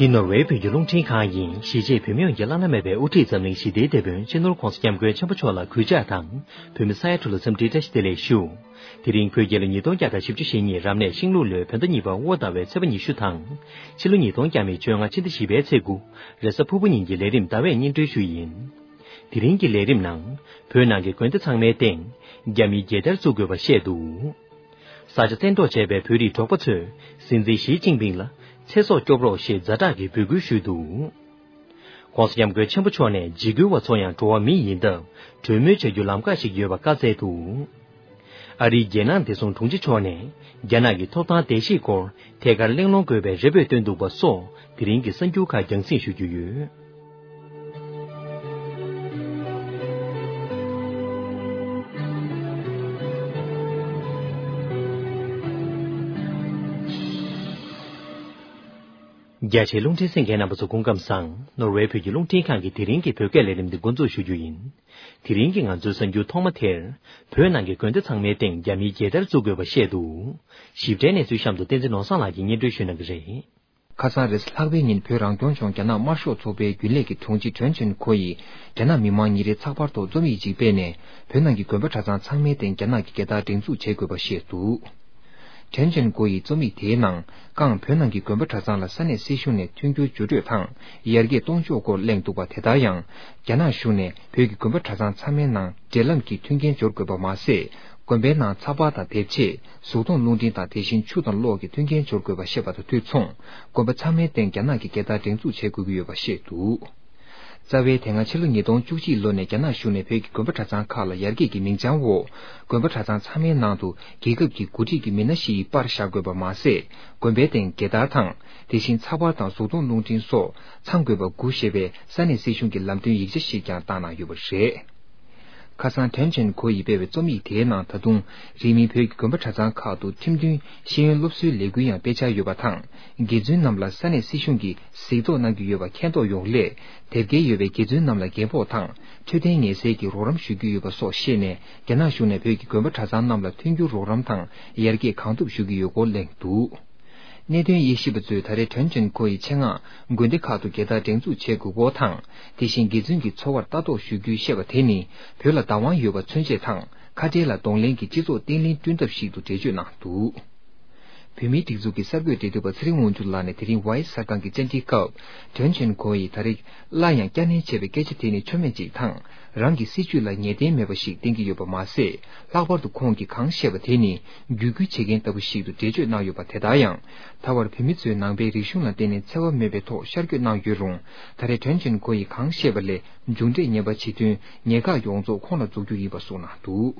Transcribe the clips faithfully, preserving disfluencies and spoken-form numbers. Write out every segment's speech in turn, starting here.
འདི་ནོར་ཝེ་བོད་ཀྱི་རླུང་འཕྲིན་ཁང་ཡིན། གཞིས་བྱེས་བོད་མི་ཡོངས་ཀྱི་བླ་ན་མེད་པའི་དབུ་ཁྲིད་འཛམ་གླིང་ཞི་བདེའི་དེད་དཔོན་སྤྱི་ནོར་༧གོང་ས་༧སྐྱབས་མགོན་ཆེན་པོ་མཆོག་ལ་གུས་ཕྱག་དང་། བོད་མི་ས་ཡ་དྲུག་ལ་འཚམས་འདྲིའི་བཀྲ་ཤིས་བདེ་ལེགས་ཞུ། དེ་རིང་བོད་རྒྱལ་ལོ་ཉིས་སྟོང་བརྒྱ་དང་བཞི་བཅུ་ཞེ་གཉིས་རབ་གནས་ཤིང་ལུག་ལོའི་བོད་ཟླ་གཉིས་པ་དབོ་ཟླ་བའི་ཚེས་པ་ཉི་ཤུ་དང་། ཕྱི་ལོ་ཉིས་སྟོང་བརྒྱ་མེད་བཅོ་ལྔ་ཕྱི་ཟླ་བཞི་པའི་ཚེས་དགུ། རེས་གཟའ་ཕུར་བུ་ཉིན་གྱི་ལས་རིམ་ཟླ་བས་སྙན་སྒྲོན་ཞུ་ཡིན། དེ་རིང་གི་ལས་རིམ་ནང་། བོད་ནང་གི་དགོན་སྡེ་ཚང་མའི་སྟེང་། རྒྱ་མིའི་རྒྱལ་དར་བཙུགས་དགོས་པ་བཤད་འདུག་ས་ཆ་བཙན་འཕྲོག་བྱས་པའི་བོད་རིགས་འབྲོག་པ་ཚོས་སྲིད་འཛིན་ཞི་ཅིན་ཕིང་ལ་ཚེ་སྲོག་སྐྱོབ་རོགས་ཞེས་ཛ་དྲག་གི་འབོད་སྐུལ་ཞུས་འདུག ྋགོང་ས་ྋསྐྱབས་མགོན་ཆེན་པོ་མཆོག་ནས་འཇིགས་སྐུལ་བ་ཚོ་ཡང་འགྲོ་བ་མི་ཡིན་སྟབས་གྲོས་མོལ་བྱ་རྒྱུ་ལམ་ཁ་ཞིག་ཡོད་པ་བཀའ་སྩལ་འདུག་ཨ་རིའི་རྒྱལ་ནང་བདེ་སྲུང་དྲུང་ཆེ་མཆོག་ནས་རྒྱ་ནག་གི་ཐོབ་ཐང་བརྡལ་བཤིག་སྐོར་ཐད་ཀར་གླེང་སློང་དགོས་པའི་རེ་འབོད་བཏོན་འདུག་པ་སོགས་དེ་རིང་གི་གསར་འགྱུར་ཁག་རྒྱང་སྲིང་ཞུ་རྒྱུ་ཡོད། རྒྱ་ཆེའི་རླུང་འཕྲིན་གསན་མཁན་རྣམ་པ་ཚོ་སྐུ་ཁམས་བཟང་། ནོར་ཝེ་བོད་ཀྱི་རླུང་འཕྲིན་ཁང་གི་དེ་རིང་གི་བོད་སྐད་ལས་རིམ་འདི་འགོ་འཛུགས་ཞུ་རྒྱུ་ཡིན། དེ་རིང་གི་ང་ཚོའི་གསར་འགྱུར་ཐོག་མ་དེར། བོད་ནང་གི་དགོན་སྡེ་ཚང་མའི་སྟེང་རྒྱ་མིའི་རྒྱལ་དར་བཙུགས་དགོས་པ་བཤད་འདུག་ཞིབ་ཕྲའི་གནས་ཚུལ་གཤམ་དུ་བསྟན་འཛིན་ནོར་བཟང་ལགས་ཀྱིས་སྙན་སྒྲོན་ཞུ་གནང་གི་རེད། ཁ་སང་རེས་ལྷག་པའི་ཉིན་བོད་རང་སྐྱོང་ལྗོངས་རྒྱ་ནག་དམར་ཤོག་ཚོགས་པའི་རྒྱུན་ལས་ཀྱི་དྲུང་ཆེ་ཁྲེན་ཅོན་ཁོ་ཡིས་རྒྱ་ནག་མི་མང་ཉིན་རེ་ཚགས་པར་ཐོག་རྩོམ་ཡིག་ཅིག་སྤེལ་ནས་བོད་ནང་གི་དགོན་པ་གྲྭ་ཚང་ཚང་མའི་སྟེང་རྒྱ་ནག་གི་རྒྱལ་དར་སྒྲེང་འཛུགས་བྱེད་དགོས་པ་བཤད་འདུག་ཁྲེན་ཅོན་ཀོ་ཡིས་རྩོམ་ཡིག་དེའི་ནང་ཀང་བོད་ནང་གི་དགོན་པ་གྲྭ་ཚང་ལ་ས་གནས་སྲིད་གཞུང་ནས་མཐུན་འགྱུར་བརྒྱུད་སྤྲོད་དང་ཡར་རྒྱས་གཏོང་ཕྱོགས་སྐོར་གླེང་འདུག་པ། དེ་ལྟར་ཡང་རྒྱ་ནག་གཞུང་ནས་བོད་ཀྱི་དགོན་པ་གྲྭ་ཚང་ཚང་མའི་ནང་འབྲེལ་ལམ་གྱི་མཐུན་རྐྱེན་སྦྱོར་དགོས་པ་མ་ཟད། དགོན་པའི་ནང་ཚགས་པར་དང་དེབ་ཆས། གཟུགས་མཐོང་རླུང་འཕྲིན་དང་དེ་བཞིན་ཆུ་དང་གློག་གི་མཐུན་རྐྱེན་སྦྱོར་དགོས་པ་བཤད་པ་དང་དུས་མཚུངས། དགོན་པ་ཚང་མའི་སྟེང་རྒྱ་ནག་གི་རྒྱལ་དར་སྒྲེང་འཛུགས་བྱེད་དགོས་ཀྱི་ཡོད་པ་བཤད་འདུག་རྩ་བའི་དེ་སྔ་ཕྱི་ལོ་ཉིས་སྟོང་བཅུ་གཅིག་ལོ་ནས་རྒྱ་ནག་གཞུང་ནས་བོད་ཀྱི་དགོན་པ་གྲྭ་ཚང་ཁག་ལ་ཡར་རྒྱས་ཀྱི་མིང་བྱང་འོག་དགོན་པ་གྲྭ་ཚང་ཚང་མའི་ནང་དུ་རྒྱལ་ཁབ་ཀྱི་འགོ་ཁྲིད་ཀྱི་མི་སྣ་བཞི་ཡི་པར་བཞག་དགོས་པ་མ་ཟད། དགོན་པའི་སྟེང་རྒྱལ་དར་དང་། དེ་བཞིན་ཚགས་པར་དང་གཟུགས་མཐོང་རླུང་འཕྲིན་སོགས་ཚང་དགོས་པ་དགུ་ཞེས་པའི་ས་གནས་སྲིད་གཞུང་གི་ལམ་སྟོན་ཡིག་ཆ་ཞིག་ཀྱང་བཏང་གནང་ཡོད་པ་རེད། ཁ་སང་ཁྲེན་ཅོན་ཁོ་ཡིས་སྤེལ་བའི་རྩོམ་ཡིག་དེའི་ནང་ད་དུང་། རིང་མིན་བོད་ཀྱི་དགོན་པ་གྲྭ་ཚང་ཁག་ཏུ་ཁྲིམས་མཐུན་ཤེས་ཡོན་སློབ་གསོའི་ལས་འགུལ་ཡང་སྤེལ་འཆར་ཡོད་པ་དང་། དགེ་མཚན་རྣམས་ལ་ས་གནས་སྲིད་གཞུང་གིས་གཟིགས་རྟོག་གནང་གི་ཡོད་པ་མཁྱེན་རྟོགས་ཡོང་སླད། དེབ་སྐྱེལ་ཡོད་པའི་དགེ་མཚན་རྣམས་ལ་རྒན་ཕོགས་དང་། འཕྲོད་བསྟེན་ངལ་སེལ་གྱི་རོགས་རམ་ཞུ་རྒྱུ་ཡོད་པ་སོགས་བཤད་ནས། རྒྱ་ནག་གཞུང་ནས་བོད་ཀྱི་དགོན་པ་གྲྭ་ཚང་རྣམས་ལ་མཐུན་འགྱུར་རོགས་རམ་དང་ཡར་རྒྱས་གང་ཐུབ་ཞུ་གི་ཡོད་སྐོར་གླེང་འདུག་གནད་དོན་དབྱེ་ཞིབ་པ་ཚོས་ད་རེས་ཁྲེན་ཅོན་ཁོ་ཡི་ཆེད་མངགས་དགོན་སྡེ་ཁག་ཏུ་རྒྱལ་དར་སྒྲེང་འཛུགས་བྱེད་དགོས་སྐོར་དང་། དེ་བཞིན་དགེ་བཙུན་གྱི་འཚོ་བར་ལྟ་རྟོག་ཞུ་རྒྱུའི་བཤད་པ་དེ་ནི་བོད་ལ་བདག་དབང་ཡོད་པ་མཚོན་བྱེད་དང་། ཁ་བྲལ་ལ་གདོང་ལེན་གྱི་སྤྱི་ཚོགས་བརྟན་ལྷིང་བསྐྲུན་ཐབས་ཤིག་ཏུ་འགྲེལ་བརྗོད་གནང་འདུག་བོད་མིའི་སྒྲིག་འཛུགས་ཀྱི་གསར་འགོད་འབྲེལ་མཐུད་པ་ཚེ་རིང་དབང་ཕྱུག་ལགས་ནས་དེ་རིང་ཝའི་གསར་ཁང་གི་བཅར་འདྲིའི་སྐབས། ཁྲེན་ཅོན་ཁོ་ཡིས་ད་རེས་སླར་ཡང་བསྐྱར་ནན་བྱས་པའི་སྐད་ཆ་དེ་ནི་ཆོ་མེད་ཅིག་དང་། རང་གི་སྲིད་བྱུས་ལ་ངེས་གཏན་མེད་པ་ཞིག་བསྟན་གྱི་ཡོད་པ་མ་ཟད། ལྷག་པར་དུ་ཁོང་གིས་གང་བཤད་པ་དེ་ནི་བརྒྱུད་སྐུལ་བྱེད་མཁན་ལྟ་བུ་ཞིག་ཏུ་འགྲེལ་བརྗོད་གནང་ཡོད་པ། དེ་ལྟར་ཡང་། ད་བར་བོད་མི་ཚོས་ནང་པའི་རིག་གཞུང་ལ་བརྟེན་ནས་འཚེ་བ་མེད་པའི་ཐོག་ཤར་བསྐྱོད་གནང་ཡོད་རུང་། ད་རེས་ཁྲེན་ཅོན་ཁོ་ཡིས་གང་བཤད་པ་ལས་མཇུག་འབྲས་ངན་པ་བྱེད་དོན་ཉེན་ཁ་ཡོངས་རྫོགས་ཁོང་ལ་འཛུགས་རྒྱུ་ཡིན་པ་གསུངས་གནང་འདུག་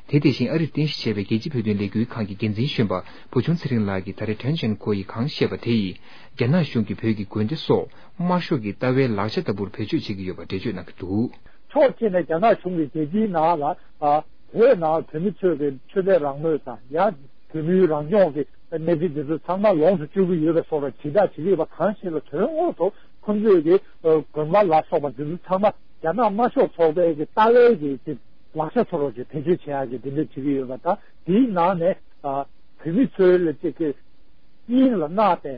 དེ་དེ་བཞིན་ཨ་རིར་རྟེན་གཞི་བྱས་པའི་རྒྱལ་སྤྱིའི་བོད་དོན་ལས་འགུལ་ཁང་གི་འགན་འཛིན་གཞོན་པ་བུ་ཆུང་ཚེ་རིང་ལགས་ཀྱིས་ད་རེས་ཁྲེན་ཅོན་ཁོ་ཡིས་གང་བཤད་པ་དེ་ཡིས་རྒྱ་ནག་གཞུང་གིས་བོད་ཀྱི་དགོན་སྡེ་སོགས་དམར་ཤོག་གི་ལྟ་བའི་ལག་ཆ་ལྟ་བུར་བེད་སྤྱོད་བྱེད་ཀྱི་ཡོད་པ་འགྲེལ་བརྗོད་གནང་གི་འདུག་ཕྱོགས་གཅིག་ནས་རྒྱ་ནག་གཞུང་གིས་རྒྱལ་སྤྱིའི་ནང་ལ་ཨ་བོད་ནང་བོད་མི་ཚོས་ཀྱི་ཆོས་དད་རང་མོས་དང་ཡང་བོད་མིའི་རང་སྐྱོང་གི་གནས་ཚུལ་འདི་ཚོ་ཚང་མ་ལོངས་སུ་སྤྱོད་ཀྱི་ཡོད་པའི་སོགས་ལ་དྲིལ་བསྒྲགས་བྱེད་ཀྱི་ཡོད་པ་གང་ཞིག་ལ་དོན་དངོས་སུ་ཁོང་ཚོས་ཀྱི་དགོན་པ་ལ་སོགས་པ་འདི་ཚོ་ཚང་མ་རྒྱ་ནག་དམར་ཤོག་ཚོགས་པའི་གི་ལྟ་བའི་གི་ལག་ཆ་ཚོ་རོགས་ཀྱི་བེད་སྤྱོད་བྱེད་ཡག་གི་འདི་འདྲ་བྱེད་ཀྱི་ཡོད་པ་དང་། དེའི་ནང་ནས་ཨ་བོད་མི་ཚོའི་ལ་ཅིག་གི་དབྱིངས་ལ་མནར་ཏེ་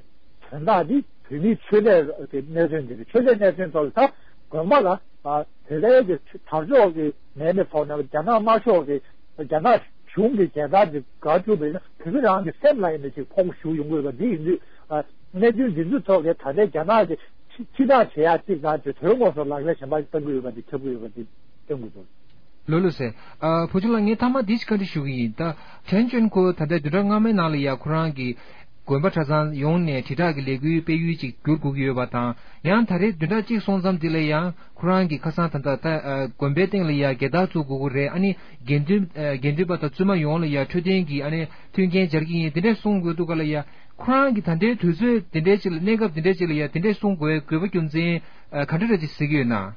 དོན་དག་འདི་བོད་མིའི་ཆོས་ལས་ཀྱི་གནད་དོན་འདི་རེད། ཆོས་ལས་གནད་དོན་ཐོག་ལ་ད་དགོན་པ་ལ་ཨ་བོད་པའི་གི་དར་ལྕོག་གི་མེད་པའི་ཐོག་ནས་རྒྱ་ནག་དམར་ཤོག་གི་རྒྱ་ནག་གཞུང་གི་རྒྱལ་དར་འདི་ག་བསྒྲུབས་པ་ཡིན་ན་བོད་མི་རང་གི་སེམས་ལ་ཡིན་ན་ཅིག་ཕོག་ཞུགས་ཡོང་གི་ཡོད་པ་འདི་ཡིན་དུས། ཨ་གནད་དོན་འདི་ཚོའི་ཐོག་ལ་ད་ལྟའི་རྒྱ་ནག་གི་ཕྱི་ཕྱི་བདག་བྱེད་ཡག་གཅིག་དང་དེ་དོན་དངོས་སུ་ལག་ལེན་གཞན་པ་བསྟར་གྱི་ཡོད་པ་འདི་ཁྱབ་ཀྱི་ཡོད་པ་འདི་སྟོན་དགོས་འདུག་ལོ་ལོ་ཟེར། ཨ་བུ་ཆུང་ལགས། ངས་མཐའ་མ་འདི་ཞིག་བཀའ་འདྲི་ཞུ་གི་ཡིན། ད་ཁྲེན་ཅོན་ཁོ་ད་ལྟའི་བདུན་ཕྲག་སྔ་མའི་ནང་ལ་ཡ་ཁོ་རང་གི་དགོན་པ་གྲྭ་ཚང་ཡོངས་ནས་དྲིལ་བསྒྲགས་ཀྱི་ལས་འགུལ་སྤེལ་ཡུལ་ཅིག་བསྒྱུར་དགོས་ཀྱི་ཡོད་པ་དང་། ཡང་ད་རེས་བདུན་ཕྲག་གཅིག་སོང་ཙམ་འདི་ལ་ཡང་ཁོ་རང་གི་ཁ་སང་ད་ལྟ་ད་ཨ་དགོན་པའི་སྟེང་ལ་ཡ་རྒྱལ་དར་བཙུགས་དགོས་ཀྱི་རེད། ཨ་ནི་དགེ་འདུན་ཨ་དགེ་འདུན་པ་དང་བཙུན་མ་ཡོངས་ལ་ཡ་འཕྲོད་བསྟེན་གྱི་ཨ་ནི་མཐུན་རྐྱེན་སྦྱར་གྱི་ཡིན། དེ་འདྲས་གསུང་དགོས་འདུག་ག་ལ་ཡ། ཁོ་རང་གིས་ད་ལྟའི་དུས་ཚོད་དེ་འདྲའི་ཅིག་ལ། གནས་སྐབས་དེ་འདྲའི་ཅིག་ལ་ཡ་དེ་འདྲའི་གསུང་དགོས་པའི་དགོས་པ་རྒྱུ་མཚན་ཨ་ག་འདྲ་རེད་ཅེས་ཟེར་གྱི་ཡོད་ན།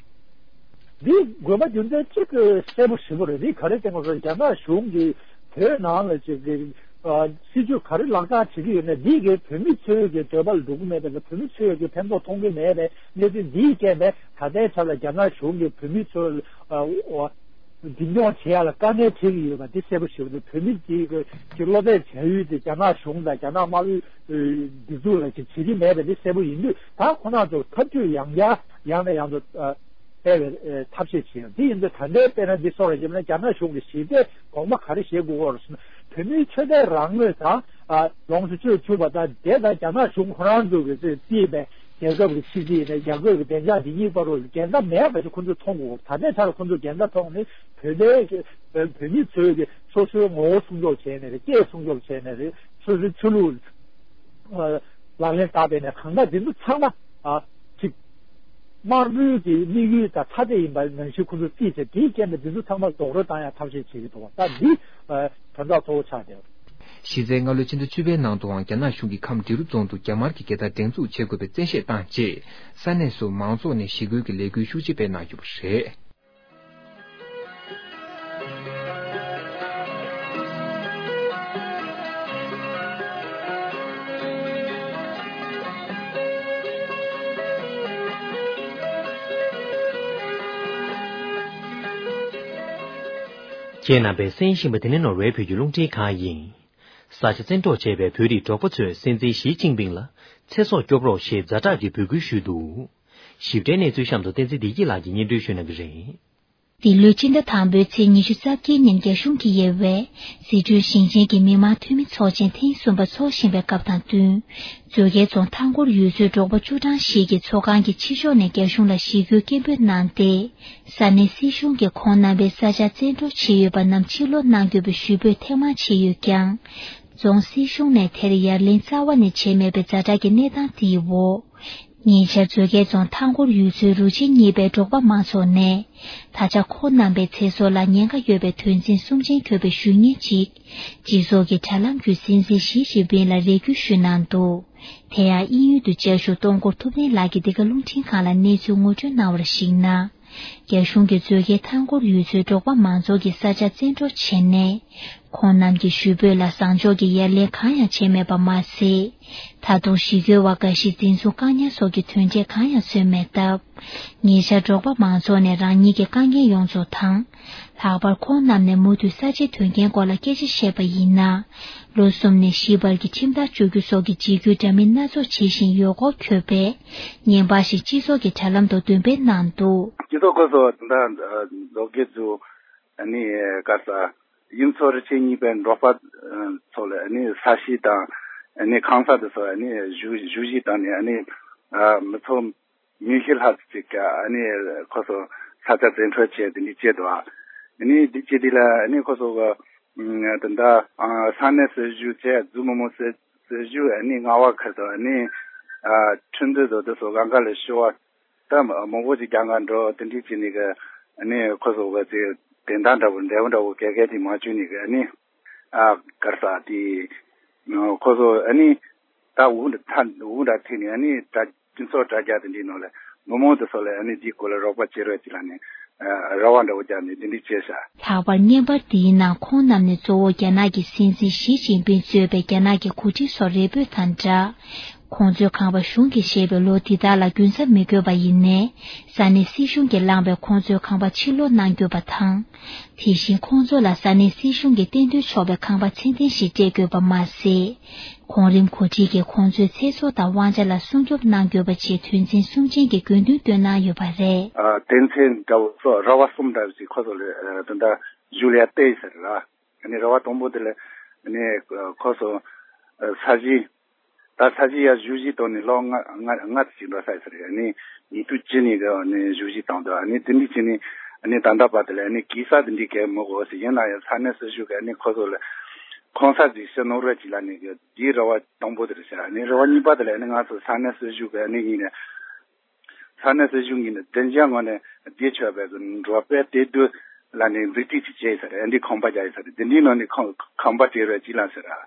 འདི་དགོས་པ་རྒྱུ་མཚན་གཅིག་གསལ་པོ་ཞེ་པོ་རེད། འདི་ག་རེ་བསྟན་དགོས་ཟེར་ན། རྒྱ་ནག་གཞུང་གིས་བོད་ནང་ལ་ཅིག་གི་ཨ་སྲིད་ཇུས་ག་རེ་ལག་བསྟར་བྱེད་ཀྱི་ཡོད་ན། འདི་གིས་བོད་མི་ཚོའི་གི་འདོད་པ་ལ་འགྲོ་གི་མེད་པ་དང་། བོད་མི་ཚོས་གི་ཕན་ཐོགས་མཐོང་གི་མེད་པའི་གནས་ཚུལ་འདིའི་རྐྱེན་པས་ད་ལྟའི་ཆར་ལ་རྒྱ་ནག་གཞུང་གིས་བོད་མི་ཚོ་ལ་ཨ། འཛིན་སྐྱོང་བྱེད་ཡ་ལ་དཀའ་ངལ་འཕྲད་ཀྱི་ཡོད་པ་འདི་གསལ་པོ་ཞེ་པོ་འདུག་བོད་མི་གཅིག་གི་སློབ་གྲྭའི་བྱ་ཡུལ་དེ་རྒྱ་ནག་གཞུང་དང་རྒྱ་ནག་དམར་པོའི་སྒྲིག་འཛུགས་ལ་ཅིག་བྱེད་ཀྱི་མེད་པ་འདི་གསལ་པོ་ཡིན་དུས། ད་ཁོ་རང་ཚོ་འཐབ་ཇུས་ཡང་བསྐྱར་ཡང་ནས་ཡང་དུ་སྤེལ་བའི་ཐབས་ཤེས་བྱེད་ཡོད། འདི་ཡིན་དུས་ད་ལྟའི་དཔེར་ན་འདི་སོགས་ལ་བྱས་ན་རྒྱ་ནག་གཞུང་གི་ཞི་བདེ་གོང་མ་ག་རེ་བྱེད་དགོས་སྐོར་སོང་ན། བོད་མིའི་ཆོས་དད་རང་མོས་དང་། ལོངས་སུ་སྤྱོད་ཆོག་པ་དང་། དེ་དང་རྒྱ་ནག་གཞུང་ཁོ་རང་ཚོ་གིས་རྩིས་པའི་རྒྱལ་ཁབ་ཀྱི་ཕྱི་སྲིད་ཡིན་ན། རྒྱལ་ཁབ་ཀྱི་བདེ་འཇགས་འདི་གཉིས་བར་དུ་འགལ་ཟླ་མེད་པ་ཞིག་ཁོ་ཚོས་མཐོང་དགོས། ད་ལྟའི་ཆར་ཁོ་ཚོས་འགལ་ཟླ་མཐོང་ནས་བོད་པའི་བོད་མི་ཚོས་ཀྱི་སོ་སོའི་ངོ་བོ་སྲུང་སྐྱོབ་བྱས་ནས་རེད། སྐད་སྲུང་སྐྱོབ་བྱས་ནས་རེད། སོ་སོའི་ཆོས་ལུགས་ལག་ལེན་བསྟར་བས་ནས། གང་ལྟར་འདི་ཚོ་ཚང་མ་ཨ་ཅིག་དམར་པོའི་གི་དམིགས་ཡུལ་དང་ཐ་དད་ཡིན་པ་ནང་བཞིན་ཁོ་ཚོ་རྩིས་བྱས། དེའི་རྐྱེན་པས་འདི་ཚོ་ཚང་མ་རྡོག་རོལ་བཏང་ཡ་ཐབས་ཤེས་བྱེད་ཀྱི་འདུག་བ། ད་འདི་དོན་དག་གཙོ་བོ་ཆགས་བསྡད་པ་རེད། གཞི་རྩའི་སྔ་ལོའི་ཕྱི་ཟླ་བཅུ་པའི་ནང་དུའང་རྒྱ་ནག་གཞུང་གིས་ཁམས་འབྲི་རུ་རྫོང་དུ་རྒྱ་དམར་གྱི་རྒྱལ་དར་སྒྲེང་འཛུགས་བྱེད་དགོས་པའི་བཙན་ཤེད་བཏང་རྗེས། ས་གནས་སུ་མང་ཚོགས་ནས་ཞི་རྒོལ་གྱི་ལས་འགུལ་ཤུགས་ཆེ་སྤེལ་གནང་ཡོད་པ་རེད། ཁྱེད་རྣམ་པས་གསན་བཞིན་པ་དེ་ནི་ནོར་ཝེ་བོད་ཀྱི་རླུང་འཕྲིན་ཁང་ཡིན། ས་ཆ་བཙན་འཕྲོག་བྱས་པའི་བོད་རིགས་འབྲོག་པ་ཚོས་སྲིད་འཛིན་ཞི་ཅིན་ཕིང་ལ་ཚེ་སྲོག་སྐྱོབ་རོགས་ཞེས་ཛ་དྲག་གི་འབོད་སྐུལ་ཞུས་འདུག་ཞིབ་ཕྲའི་གནས་ཚུལ་གཤམ་དུ་བསྟན་འཛིན་བདེ་སྐྱིད་ལགས་ཀྱིས་སྙན་སྒྲོན་ཞུ་གནང་གི་རེད། འདི་ལོའི་སྤྱི་ཟླ་དང་པོའི་ཚེས་ཉི་ཤུ་རྩ་བརྒྱད་ཉིན་རྒྱ་གཞུང་གིས་དབྱེ་བའི་སི་ཁྲོན་ཞིང་ཆེན་གྱི་མི་དམངས་འཐུས་མི་ཚོགས་ཆེན་ཐེངས་གསུམ་པ་འཚོགས་བཞིན་པའི་སྐབས་དང་བསྟུན། མཛོད་དཀར་རྫོང་མཐའ་འཁོར་ཡུལ་ཚོའི་འབྲོག་པ་བཅུ་གྲངས་ཤིག་གིས་ཚོགས་ཁང་གི་ཕྱི་ཕྱོགས་ནས་རྒྱ་གཞུང་ལ་ཞི་རྒོལ་སྐད་འབོད་གནང་སྟེ། ས་གནས་སྲིད་གཞུང་གིས་ཁོང་རྣམ་པའི་ས་ཆ་བཙན་འཕྲོག་བྱས་ཡོད་པ་རྣམས་ཕྱིར་སློག་གནང་དགོས་པའི་ཞུ་འབོད་ཐེངས་མང་བྱས་ཡོད་ཀྱང་། རྫོང་སྲིད་གཞུང་ནས་དེར་ཡ་ལན་རྩ་བ་ནས་བྱས་མེད་པའི་ཛ་དྲག་གི་གནས་སྟངས་དེའི་འོག་ཉེ་ཆར་མཛོད་དཀར་རྫོང་མཐའ་འཁོར་ཡུལ་ཚོའི་རུ་ཆེན་གཉིས་པའི་འབྲོག་པ་མང་ཚོགས་ནས། ད་ཆ་ཁོང་རྣམ་པའི་ཚེ་སྲོག་ལ་ཉེན་ཁ་ཡོད་པའི་དོན་ཚན་གསུམ་ཅན་འཁོད་པའི་ཞུ་སྙན་ཅིག་སྤྱི་ཚོགས་ཀྱི་དྲ་ལམ་བརྒྱུད་སྲིད་འཛིན་ཞི་ཅིན་ཕིང་ལ་རེ་སྐུལ་ཞུས་གནང་འདུག་དེ་ཡང་དབྱིན་ཡུལ་དུ་བཅའ་བཞུགས་སྟོང་འཁོར་ཐུབ་བསྟན་ལགས་ཀྱིས་འདི་ག་རླུང་འཕྲིན་ཁང་ལ་གནས་ཚུལ་ངོ་སྤྲོད་གནང་བར་གཞིགས་ན། རྒྱ་གཞུང་གིས་མཛོད་དཀར་མཐའ་འཁོར་ཡུལ་ཚོའི་འབྲོག་པ་མང་ཚོགས་ཀྱི་ས་ཆ་བཙན་འཕྲོག་བྱས་ནས། ཁོང་རྣམས་ཀྱི་ཞུ་འབོད་ལ་བཟང་ཕྱོགས་ཀྱི་ཡ་ལན་གང་ཡང་བྱས་མེད་པ་མ་ཟད། ད་དུང་ཞི་རྒོལ་བ་འགའ་ཞིག་འཛིན་བཟུང་བཀག་ཉར་སོགས་ཀྱི་དོན་འབྲས་གང་ཡང་བཟོས་མེད་སྟབས། ཉེ་ཆར་འབྲོག་པ་མང་ཚོགས་ནས་རང་ཉིད་ཀྱི་དཀའ་ངལ་ཡོངས་རྫོགས་དང་། ལྷག་པར་ཁོང་རྣམས་ནས་མུ་མཐུད་ས་ཆའི་དོན་རྐྱེན་སྐོར་ལ་སྐད་ཆ་བཤད་པ་ཡིན་ན། ལོ་གསུམ་ནས་བཞི་བར་གྱི་ཁྲིམས་ཐག་གཅོད་རྒྱུ་སོགས་ཀྱི་འཇིགས་སྐུལ་འདྲ་མིན་སྣ་ཚོགས་བྱེད་བཞིན་ཡོད་སྐོར་འཁོད་པའི་བརྙན་པར་ཞིག་སྤྱི་ཚོགས་ཀྱི་དྲ་ལམ་དུ་འདོན་སྤེལ་གནང་འདུག་སྤྱི་ཚོགས་ཁོངས་སུ་ད་ལྟ་མཛོད་དཀར་རྫོང་ཨ་ནི་ག་ས་དབྱིན་མཚོ་རུ་ཆེན་གཉིས་པའི་འབྲོག་པ་ཚོ་ལ་ཨ་ནི་ས་གཞི་དང་ཨ་ནི་ཁང་གསར་དེ་ཚོ་ཨ་ནི་བཞུགས་བཞུགས་གཞིས་དང་ནི་ཨ་ནི་མི་ཚོ་ཉི་ཤུ་ལྷག་ཅིག་ཨ་ནི་ཁོ་ཚོ་ས་ཆ་བཙན་འཕྲོག་བྱས་དེ་འདྲ་བྱས་འདུག་ཨ་ནི་འདི་བྱས་དེ་ལ་ཨ་ནི་ཁོ་ཚོ་གི་ད་ལྟ་ས་གནས་སྲིད་གཞུང་བཅས་འཛུལ་མི་མང་སྲིད་སྲིད་གཞུང་ཨ་ནི་མངའ་འོག་ཁུལ་དུ་ཨ་ནི་ཁྲིན་ཏུའུ་དང་དེ་ཚོ་གང་ག་ལ་ཞུ་བ་ད་མང་པོ་ཅིག་རྒྱ་གར་འགྲོ་དེ་འདྲ་བྱས་ནས་གི་ཨ་ནི་ཁོ་ཚོ་གི་ཅིག་དེ་འདྲ་འདྲ་བོ་འབྲས་བུ་འདྲ་བོ་གས་གས་དེ་མ་བྱུང་ནས་གི་ཨ་ནི་ཨ་གར་ས་དེ་ཁོ་ཚོ་ཨ་ནི་ད་འུ་འདྲ་ཐ་འུ་འདྲ་ཐེ་ནས་ཨ་ནི་ད་སྤྱི་ཚོགས་དྲ་རྒྱ་དེ་འདྲའི་ནང་ལ་མི་མང་དེ་ཚོ་ལ་ཨ་ནི་དེའི་སྐོར་ལ་རོགས་པ་བྱེད་རོགས་ཅིག་ལ་ནི་རེ་བ་འདྲ་བོ་བརྒྱབ་ནས་དེ་འདྲ་བྱས་ཤག་ལྷག་པར་བརྙན་པར་འདིའི་ནང་ཁོང་རྣམས་ནས་གཙོ་བོ་རྒྱ་ནག་གི་སྲིད་འཛིན་ཞི་ཅིན་ཕིང་གཙོས་པའི་རྒྱ་ནག་གི་འགོ་ཁྲིད་ཚོར་རེ་འབོད་དང་སྦྲགས། ཁོང་ཚོའི་ཁང་པ་གཞུང་གིས་བཞེས་པའི་ལོ་འདི་དག་ལ་རྒྱུན་ཆད་མི་དགོས་པ་ཡིན་ནའི། ས་གནས་སྲིད་གཞུང་གིས་བླངས་པའི་ཁོང་ཚོའི་ཁང་པ་ཕྱིར་སློག་གནང་དགོས་པ་དང་། དེ་བཞིན་ཁོང་ཚོ་ལ་ས་གནས་སྲིད་གཞུང་གིས་གཏན་དུ་ཆོག་པའི་ཁང་པ་ཚད་ལྡན་ཞིག་སྤྲད་དགོས་པ་མ་ཟད། གོང་རིམ་འགོ་ཁྲིད་ཀྱིས་ཁོང་ཚོའི་ཚེ་སྲོག་དང་དབང་ཆ་ལ་སྲུང་སྐྱོབ་གནང་དགོས་པ་བཅས་དོན་ཚན་གསུམ་ཅན་གྱི་དགོས་འདུན་བཏོན་གནང་ཡོད་པ་རེད། དོན་ཚན་འདྲ་བོ་སོགས་ར་བ་གསུམ་འདྲ་བོ་ཞིག་ཁོ་ཚོ་ལ་དོན་དག་ཞུ་ལ་ཡ་བལྟས་ཟེར་ལ། ཨ་ནི་རེ་བ་དང་པོ་དེ་ལ་ཨ་ནི་ཁོ་ཚོ་ས་གཞི་ད་ས་གཞི་ཡ་བཞུགས་གཞིས་དང་ནི་ལོ་ལྔ་ལྔ་ལྔ་ཙམ་ཞིག་འགྲོ་ས་ཡོད་ས་རེད། ཨ་ནི་ཉིས་སྟོང་བཅུ་ནས་གི་ཨ་ནི་བཞུགས་གཞིས་བཏང་འདུག་ཨ་ནི་དེ་འདྲ་བྱས་ནས་ཨ་ནི་ད་ལྟ་བར་དེ་ལ་ཨ་ནི་གེ་སར་དེ་འདྲའི་གས་མི་དགོས་ཟེར། ཡིན་ན་ཡང་ས་གནས་སྲིད་གཞུང་གིས་ཨ་ནི་ཁོ་ཚོ་ལ་ཁང་གསར་ཅིག་ཕྱིར་གནང་རོགས་གྱིས་ལབ་ནས་གི་དེའི་རེ་བ་དང་པོ་དེ་རེད་ཤག་ཨ་ནི་རེ་བ་གཉིས་པ་དེ་ལ་ཨ་ནི་ང་ཚོ་ས་གནས་སྲིད་གཞུང་གིས་ཨ་ནི་ཡིན་ནས། ས་གནས་སྲིད་གཞུང་གིས་ནི་བདེ་འཇགས་ངང་ནས་བསྡད་ཆོག་པའི་གི་འབྲོག་པའི་དེ་དུས་ལ་ནི་འཛུགས་སྐྲུན་ཅིག་བྱས་ཡོད་ས་རེད། འདི་ཁང་པ་རྒྱག་ཡོད་ས་རེད། འདི་འདྲའི་ནང་ནས་ཁང་ཁང་པ་སྤྲད་རོགས་གྱིས་ལབ་ཟེར་ར།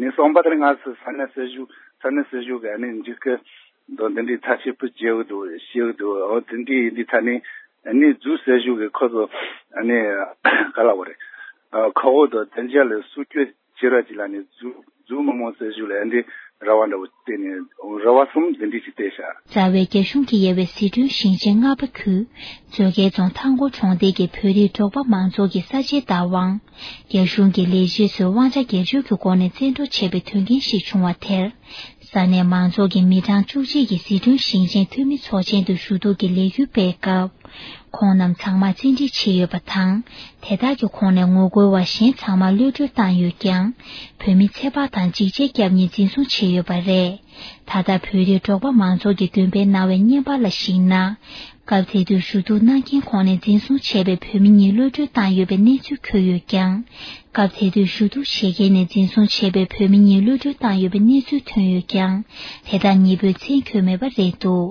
ནི་གསུམ་པ་དེར་ང་ཚོ་ས་གནས་སྲིད་གཞུང་ས་གནས་སྲིད་གཞུང་གིས་ནི་འཇིགས་སྐུལ་དང་འདི་འདྲའི་ཚ་ཤེས་པོ་བྱེད་འུ་འདུག་བྱེད་འུ་འདུག་འོ་དེ་འདྲའི་འདི་ཚ་ནི་ནི་འཛུགས་སྲིད་གཞུང་གིས་ཁོ་ཚོ་ནི་ག་ལ་བ་རེད། ཁོ་བོ་དང་བདེ་འཇགས་ལ་སྲུང་སྐྱོབ་བྱེད་རོགས་གྱིས་ལབ་ནས་འཛུགས་ ཛུ་མི་མང་སྲིད་ཞུ་ལ་འདི་ར་བ་འདྲ་བོ་བལྟས་ནས་ར་བ་གསུམ་འདི་འདྲ་ཞིག་བལྟས་ཤག་རྩ་བའི་རྒྱ་གཞུང་གིས་དབྱེ་བའི་ཟི་ཁྲོན་ཞིང་ཆེན་རྔ་པ་ཁུལ་མཛོད་དཀར་རྫོང་ཐང་སྐོར་གྲོང་རྡལ་གྱི་བོད་རིགས་འབྲོག་པ་མང་ཚོགས་ཀྱི་ས་ཆའི་བདག་དབང་རྒྱ་གཞུང་གི་ལས་བྱེད་ཚོས་དབང་ཆ་སྒེར་གཅོད་ཀྱི་སྒོ་ནས་བཙན་འཕྲོག་བྱས་པའི་དོན་རྐྱེན་ཞིག་བྱུང་བ་དེར། ས་གནས་མང་ཚོགས་ཀྱིས་མི་གྲངས་བཅུ་གཅིག་གི་ཟི་ཁྲོན་ཞིང་ཆེན་འཐུས་མི་ཚོགས་ཆེན་དུ་ཞུ་གཏུག་གི་ལས་འགུལ་སྤེལ་སྐབས། ཁོང་རྣམས་ཚང་མ་བཙན་ཁྲིད་བྱས་ཡོད་པ་དང་། དེ་དག་གི་ཁོངས་ནས་ངོ་རྒོལ་བ་གཞན་ཚང་མ་གློད་གྲོལ་བཏང་ཡོད་ཀྱང་། བོད་མི་ཚེ་དཔག་དང་འཇིགས་བྱེད་སྐྱབས་གཉིས་འཛིན་བཟུང་བྱས་ཡོད་པ་རེད། ད་ལྟ་བོད་རིགས་འབྲོག་པ་མང་ཚོགས་ཀྱིས་འདོན་སྤེལ་གནང་བའི་བརྙན་པར་ལ་གཞིགས་ན། སྐབས་དེ་དུས་ཞུ་གཏུག་གནང་མཁན་ཁོངས་ནས་འཛིན་བཟུང་བྱས་པའི་བོད་མི་གཉིས་གློད་གྲོལ་བཏང་ཡོད་པའི་གནས་ཚུལ་འཁོད་ཡོད་ཀྱང་། སྐབས་དེ་དུས་ཞུ་གཏུག་བྱེད་མཁན་ནས་འཛིན་བཟུང་བྱས་པའི་བོད་མི་གཉིས་གློད་གྲོལ་བཏང་ཡོད་པའི་གནས་ཚུལ་ཐོན་ཡོད་ཀྱང་། དེ་དག་གཉིས་པོའི་མཚན་འཁོད་མེད་པ་རེད་འདུག་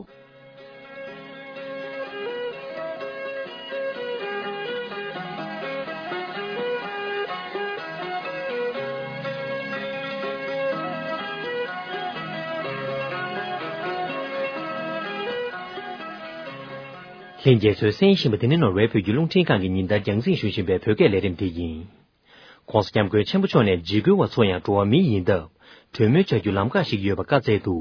ལྷན་རྒྱས་ཚོས་གསན་བཞིན་པ་འདི་ནི་ནོར་ཝེ་བོད་ཀྱི་རླུང་འཕྲིན་ཁང་གི་ཉིན་ལྟར་རྒྱང་སྲིང་ཞུ་བཞིན་པའི་བོད་སྐད་ལས་རིམ་འདི་ཡིན། ྋགོང་ས་ྋསྐྱབས་མགོན་ཆེན་པོ་མཆོག་ནས་འཇིགས་སྐུལ་བ་ཚོ་ཡང་འགྲོ་བ་མི་ཡིན་སྟབས། གྲོས་མོལ་བྱ་རྒྱུའི་ལམ་ཁ་ཞིག་ཡོད་པ་བཀའ་སྩལ་འདུག་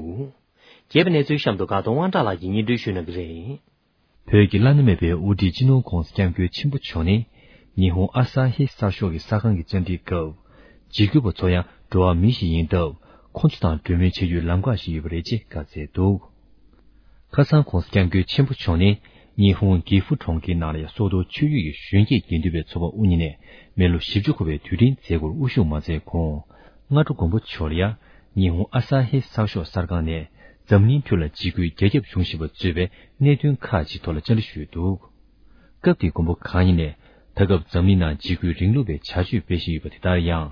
རྒྱས་པའི་གནས་ཚུལ་གཤམ་དུ་དགའ་གདོང་དབང་གྲགས་ལགས་ཀྱིས་སྙན་སྒྲོན་ཞུ་གནང་གི་རེད། བོད་ཀྱི་བླ་ན་མེད་པའི་དབུ་ཁྲིད་སྤྱི་ནོར་ྋགོང་ས་ྋསྐྱབས་མགོན་ཆེན་པོ་མཆོག་ནས། ཉི་ཧོང་ཨ་ས་ཧི་གསར་ཤོག་གི་གསར་ཁང་གི་བཅར་འདྲིའི་སྐབས། འཇིགས་སྐུལ་བ་ཚོ་ཡང་འགྲོ་བ་མི་ཞིག་ཡིན་སྟབས། ཁོང་ཚོ་དང་གྲོས་མོལ་བྱ་རྒྱུའི་ལམ་ཁ་ཞིག་ཡོད་པ་རེད་ཅེས་བཀའ་སྩལ་འདུག་ཁ་སང་ྋགོང་ས་ྋསྐྱབས་མགོན་ཆེན་པོ་མཆོག་ནས་ཉི་ཧོང་གི་ཧྥུ་གྲོང་ཁྱེར་ནང་ལ་ཡང་སོ་ཏོ་ཆོས་བརྒྱུད་ཀྱི་གཞོན་སྐྱེས་དགེ་འདུན་པའི་ཚོགས་པ་དབུ་བརྙེས་ནས་མི་ལོ་བཞི་བཅུ་འཁོར་བའི་དུས་དྲན་མཛད་སྒོར་དབུ་བཞུགས་མ་མཛད་གོང་། སྔ་དྲོ་མགོན་པོ་མཆོག་ལ་ཡང་ཉི་ཧོང་ཨ་ས་ཧི་གསར་ཤོག་གསར་ཁང་ནས་འཛམ་གླིང་ཁྲོད་ལ་འཇིགས་སྐུལ་རྒྱ་ཁྱབ་བྱུང་བཞིན་པ་གཙོས་པའི་གནད་དོན་ཁག་ཅིག་ཐོག་ལ་བཅར་འདྲི་ཞུས་འདུག་སྐབས་དེའི་མགོན་པོ་གང་ཉིད་ནས་ད་སྐབས་འཛམ་གླིང་ནང་འཇིགས་སྐུལ་རིང་ལུགས་པའི་བྱ་སྤྱོད་སྤེལ་བཞིན་ཡོད་པ་དེ་ལྟར་ཡང་།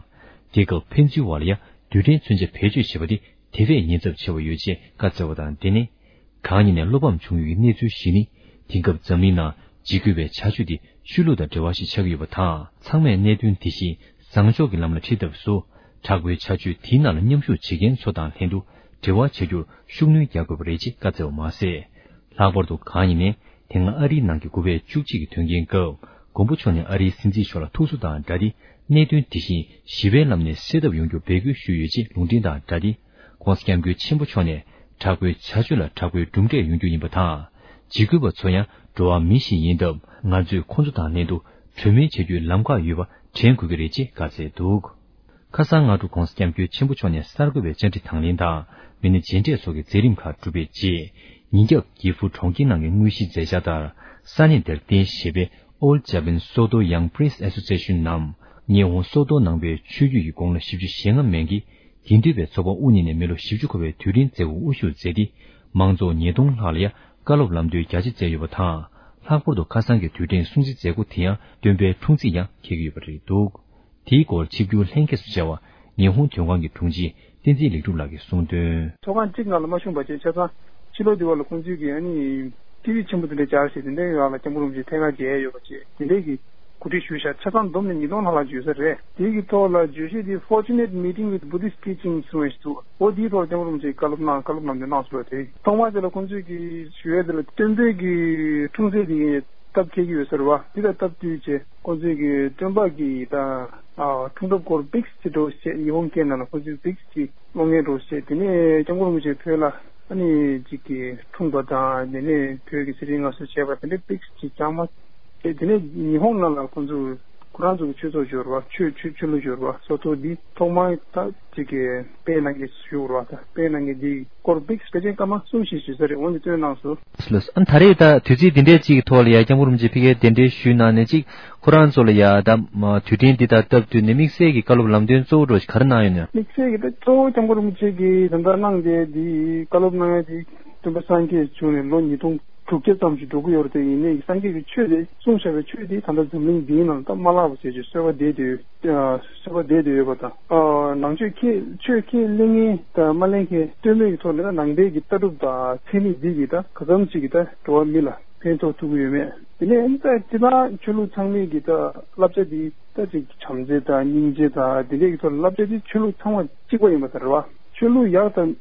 རྒྱལ་ཁབ་ཕན་ཚུན་བར་ལ་ཡང་རྡུལ་ཕྲན་མཚོན་ཆ་བེད་སྤྱོད་བྱེད་པ་དེ་དེ་བས་ཉེན་ཚབས་ཆེ་བ་ཡོད་ཅེས་བཀའ་སྩལ་བ་དང་འབྲེལ་ནས། གང་ཉིད་ནས་བློ་ཕམ་བྱུང་ཡོད་ཀྱི་གནས་ཚུལ་ཞིག་ནི། དེང་སྐབས་འཛམ་གླིང་ནང་འཇིགས་སྐུལ་བའི་བྱ་སྤྱོད་དེ་ཆོས་ལུགས་དང་འབྲེལ་བ་ཞིག་ཆགས་ཀྱི་ཡོད་པ་དང་། ཚང་མས་གནད་དོན་དེ་བཞིན་བཟང་ཕྱོགས་ཀྱི་ལམ་ལ་ཁྲིད་ཐབས་སུ། དྲག་པོའི་བྱ་སྤྱོད་དེའི་ནང་ལ་མཉམ་ཞུགས་བྱེད་མཁན་ཚོ་དང་ལྷན་དུ་འབྲེལ་བ་བྱ་རྒྱུར་ཤུགས་སྣོན་རྒྱག་དགོས་པ་རེད་ཅེས་བཀའ་སྩལ་བ་མ་ཟད། ལྷག་པར་དུ་གང་ཡིན་ནའི་དེ་སྔ་ཨ་རིའི་ནང་གི་དགུ་པའི་བཅུ་གཅིག་གི་དོན་རྐྱེན་སྐབས་མགོན་པོ་མཆོག་ནས་ཨ་རིའི་སྲིད་འཛིན་མཆོག་ལ་ཐུགས་གསོ་དང་སྦྲགས་ཏེ་གནད་དོན་དེ་བཞིན་ཞི་བའི་ལམ་ནས་སེལ་ཐབས་ཡོང་རྒྱུར་འབོད་སྐུལ་ཞུས་ཡོད་ཅེས་ལུང་འདྲེན་དང་སྦྲགས་ཏེ། ྋགོང་ས་ྋསྐྱབས་མགོན་ཆེན་པོ་མཆོག་ནས་དྲག་པོའི་བྱ་སྤྱོད་ལ་དྲག་པོའི་གྲུབ་འབྲས་ཡོང་རྒྱུ་ཡིན་པ་དང་། འཇིགས་སྐུལ་བ་ཚོ་ཡང་འགྲོ་བ་མི་ཞིག་ཡིན་སྟབས་ང་ཚོས་ཁོང་ཚོ་དང་ལྷན་དུ་གྲོས་མོལ་བྱ་རྒྱུའི་ལམ་ཁ་ཡོད་པ་དྲན་དགོས་ཀྱི་རེད་ཅེས་བཀའ་སྩལ་འདུག་ཁ་སང་སྔ་དྲོ་ྋགོང་ས་ྋསྐྱབས་མགོན་ཆེན་པོ་མཆོག་ནས་གསར་འགོད་པའི་བཅར་འདྲི་དང་ལེན་དང་མི་སྣ་མཇལ་འཕྲད་སོགས་ཀྱི་མཛད་རིམ་ཁག་གྲུབ་པའི་རྗེས། ཉིན་རྒྱབ་གྱི་ཧྥུ་གྲོང་ཁྱེར་ནང་གི་དངོས་གཞིའི་མཛད་འཆར་ལྟར་ས་གནས་དེར་རྟེན་བཞེས་པའི་All Japan Soto Young Prince Association ནམ་ཉི་ཧོང་སོ་ཏོ་ནང་པའི་ཆོས་བརྒྱུད་ཀྱི་དགུང་ལོ་བཞི་བཅུ་ཞེ་ལྔ་མན་གྱི་དགེ་འདུན་པའི་ཚོགས་པ་དབུ་བརྙེས་ནས་མི་ལོ་བཞི་བཅུ་འཁོར་བའི་དུས་དྲན་མཛད་སྒོར་དབུ་བཞུགས་མཛད་དེ། མང་ཚོགས་ཉིས་སྟོང་ལྷག་ལ་ཡང་བཀའ་སློབ་ལམ་སྟོན་རྒྱ་ཆེ་སྩལ་ཡོད་པ་དང་། ལྷག་པར་དུ་ཁ་སང་གི་དུས་དྲན་སྲུང་བརྩི་མཛད་སྒོ་དེ་ཡང་སྟོན་པའི་འཁྲུངས་ཚེས་ཡང་འཁེལ་གྱི་ཡོད་པ་རེད་འདུག་དེའི་སྐོར་ཆིབས་བསྒྱུར་ལྷན་རྒྱས་སུ་བཅར་བ་ཉི་ཧོང་དོན་ཁང་གི་དྲུང་ཆེ་བསྟན་འཛིན་ལེགས་གྲུབ་ལགས་ཀྱིས་གསུངས་དོན། ཚོགས་ཁང་གཅིག་ནང་ལ་མ་བྱུང་བ་བྱས། ཆ་ཚང་ཕྱི་ལོགས་དེ་བ་ལ་ཁོང་ཚོས་ཀྱིས་ཨ་ནི་ཊི་ཝི་ཆེན་པོ་དེ་འདྲ་སྦྱར་བྱས། དེ་འདྲའི་ཡོག་ལ་སྐྱབས་མགོན་རིན་པོ་ཆེ་ཐད་ཀར་མཇལ་ཡས་ཡོད་པ་བྱས། དེ་འདྲའི་གི་གོ་སྒྲིག་ཞུས་ཤག་ཆ་ཚང་བསྡོམས་ནས་ཉིས་སྟོང་ལྷག་ལྷག་འབྱོར་ས་རེད། དེའི་གི་ཐོག་ལ་བརྗོད་གཞི་དེ་Fortunate Meeting with Buddhist Teachings གསུངས་པ་ཞིག་འདུག་འོ་དེའི་ཐོག་ལ་སྐྱབས་མགོན་རིན་པོ་ཆེས་བཀའ་སློབ་གནང་། བཀའ་སློབ་ལམ་སྟོན་གནང་སོང་བ་དེ། ཐོག་མར་དེ་ལ་ཁོང་ཚོས་ཀྱིས་ཞུ་ཡས་དེ་ལ་སྟོན་པའི་གི་འཁྲུངས་ཚེས་དེ་སྟབས་འཁེལ་གྱི་ཡོད་ས་རེད་བ། དེ་ལ་སྟབས་བསྟུན་བྱས་ཁོང་ཚོས་ཀྱིས་སྟོན་པ་གི་ད་ཨ་འཁྲུངས་སྐར་སྐོར་པིག་སི་ཅིག་འདྲ་བོ་བྱས། ཉི་ཧོང་སྐད་ནང་ལ་ཁོང་ཚོས་པིག་སི་ཅིག་ཀློག་མཁན་འདྲ་བོ་བྱས། དེ་ནས་སྐྱབས་མགོན་རིན་པོ་ཆེ་བོད་ལ་ཨ་ནི་ཅིག་གི་འཁྲུངས་པ་དང་། དེ་ནས་བོད་ཀྱི་ཚེ་རིང་སྔ་གསོལ་བྱས་པ་དེ་འདྲའི་པིག་སི་ཅིག་བཅའ་མར་བྱས། དེ་ནས་ཉི་ཧོང་ནང་ལ་ཁོང་ཚོས་ཁོ་རང་ཚོ་གི་ཆོས་ཚོགས་འབྱོར་བ། ཆོས་ཆོས་ཆོས་ལུགས་འབྱོར་བ་སོ་ཏོ་འདི་ཐོག་མར་ད་ཅིག་གི་སྤེལ་གནང་མཁན་ཞུ་བར་བ། ད་སྤེལ་གནང་མཁན་འདི་སྐོར་པིག་སི་ཕལ་ཆེར་སྐར་མ་གསུམ་བཞི་ཞུ་ས་རེད། འོན་ཀྱང་སྟོན་གནང་སོང་། ལགས་སོ། ཨ་ནི་ད་རེས་ད་དུས་ཚིགས་འདི་འདྲའི་ཅིག་གི་ཐོག་ལ་ཡ་སྐྱབས་མགོན་རིན་པོ་ཆེ་ཕ་གིར་གདན་འདྲེན་ཞུས་གནང་ནས་ཅིག་ཁོ་རང་ཚོ་ལ་ཡ་ད་དུས་དྲན་འདི་དང་སྟབས་བསྟུན་ནས་དམིགས་བསལ་གྱི་བཀའ་སློབ་ལམ་སྟོན་གཙོ་བོ་འདྲ་ཞིག་ག་རེ་གནང་ཡོད་ན། དམིགས་བསལ་གྱི་ད་གཙོ་བོ་སྐྱབས་མགོན་རིན་པོ་ཆེ་གིས་ད་ལྟ་གནང་བསྡད་འདི་བཀའ་སློབ་གནང་ཡ་འདི་སྟོན་པ་སངས་རྒྱས་བྱུང་ནས་ལོ་ཉིས་སྟོང་དྲུག་བརྒྱ་ཙམ་ཞིག་འགྲོ་གི་ཡོད་རེད་དེ། ཡིན་ནའི་སངས་རྒྱས་ཀྱིས་ཆོས་དེ་གསུངས་བཞག་པའི་ཆོས་དེ་ད་ལྟ་འཛམ་གླིང་འདིའི་ནང་ད་མ་བརླག་པ་བྱས་ཀྱི་གསོལ་བ་འདེབས་ཏེ་ཡོད། གསོལ་བ་འདེབས་ཏེ་ཡོད་པ་དང་། ཨ་ནང་ཆོས་ཁས་ཆོས་ཁས་ལེན་མཁན་དང་མ་ལེན་མཁན་ལྟོས་མེད་ཀྱི་ཐོག་ནས་ད་ནང་པའི་གི་ལྟ་གྲུབ་དང་ཚད་མེད་འདི་གིས་ད་ག་ཙམ་ཅིག་གིས་ད་འགྲོ་བ་མི་ལ་ཕན་ཐོགས་ཐུབ་ཀྱི་ཡོད་མེད། དེ་ནས་ཨ་ནི་ད་སྤྱིར་བཏང་ཆོས་ལུགས་ཚང་མས་ཀྱི་ད་བསླབ་བྱ་འདི་ད་ཅིག་བྱམས་བརྩེ་དང་སྙིང་རྗེ་དང་དེ་འདྲའི་གི་ཐོག་ལ་བསླབ་བྱ་འདི་ཆོས་ལུགས་ཚང་མ་གཅིག་པ་ཡིན་པ་དང་རེད་བ། ཆོས་ལུགས་ཡག་དང་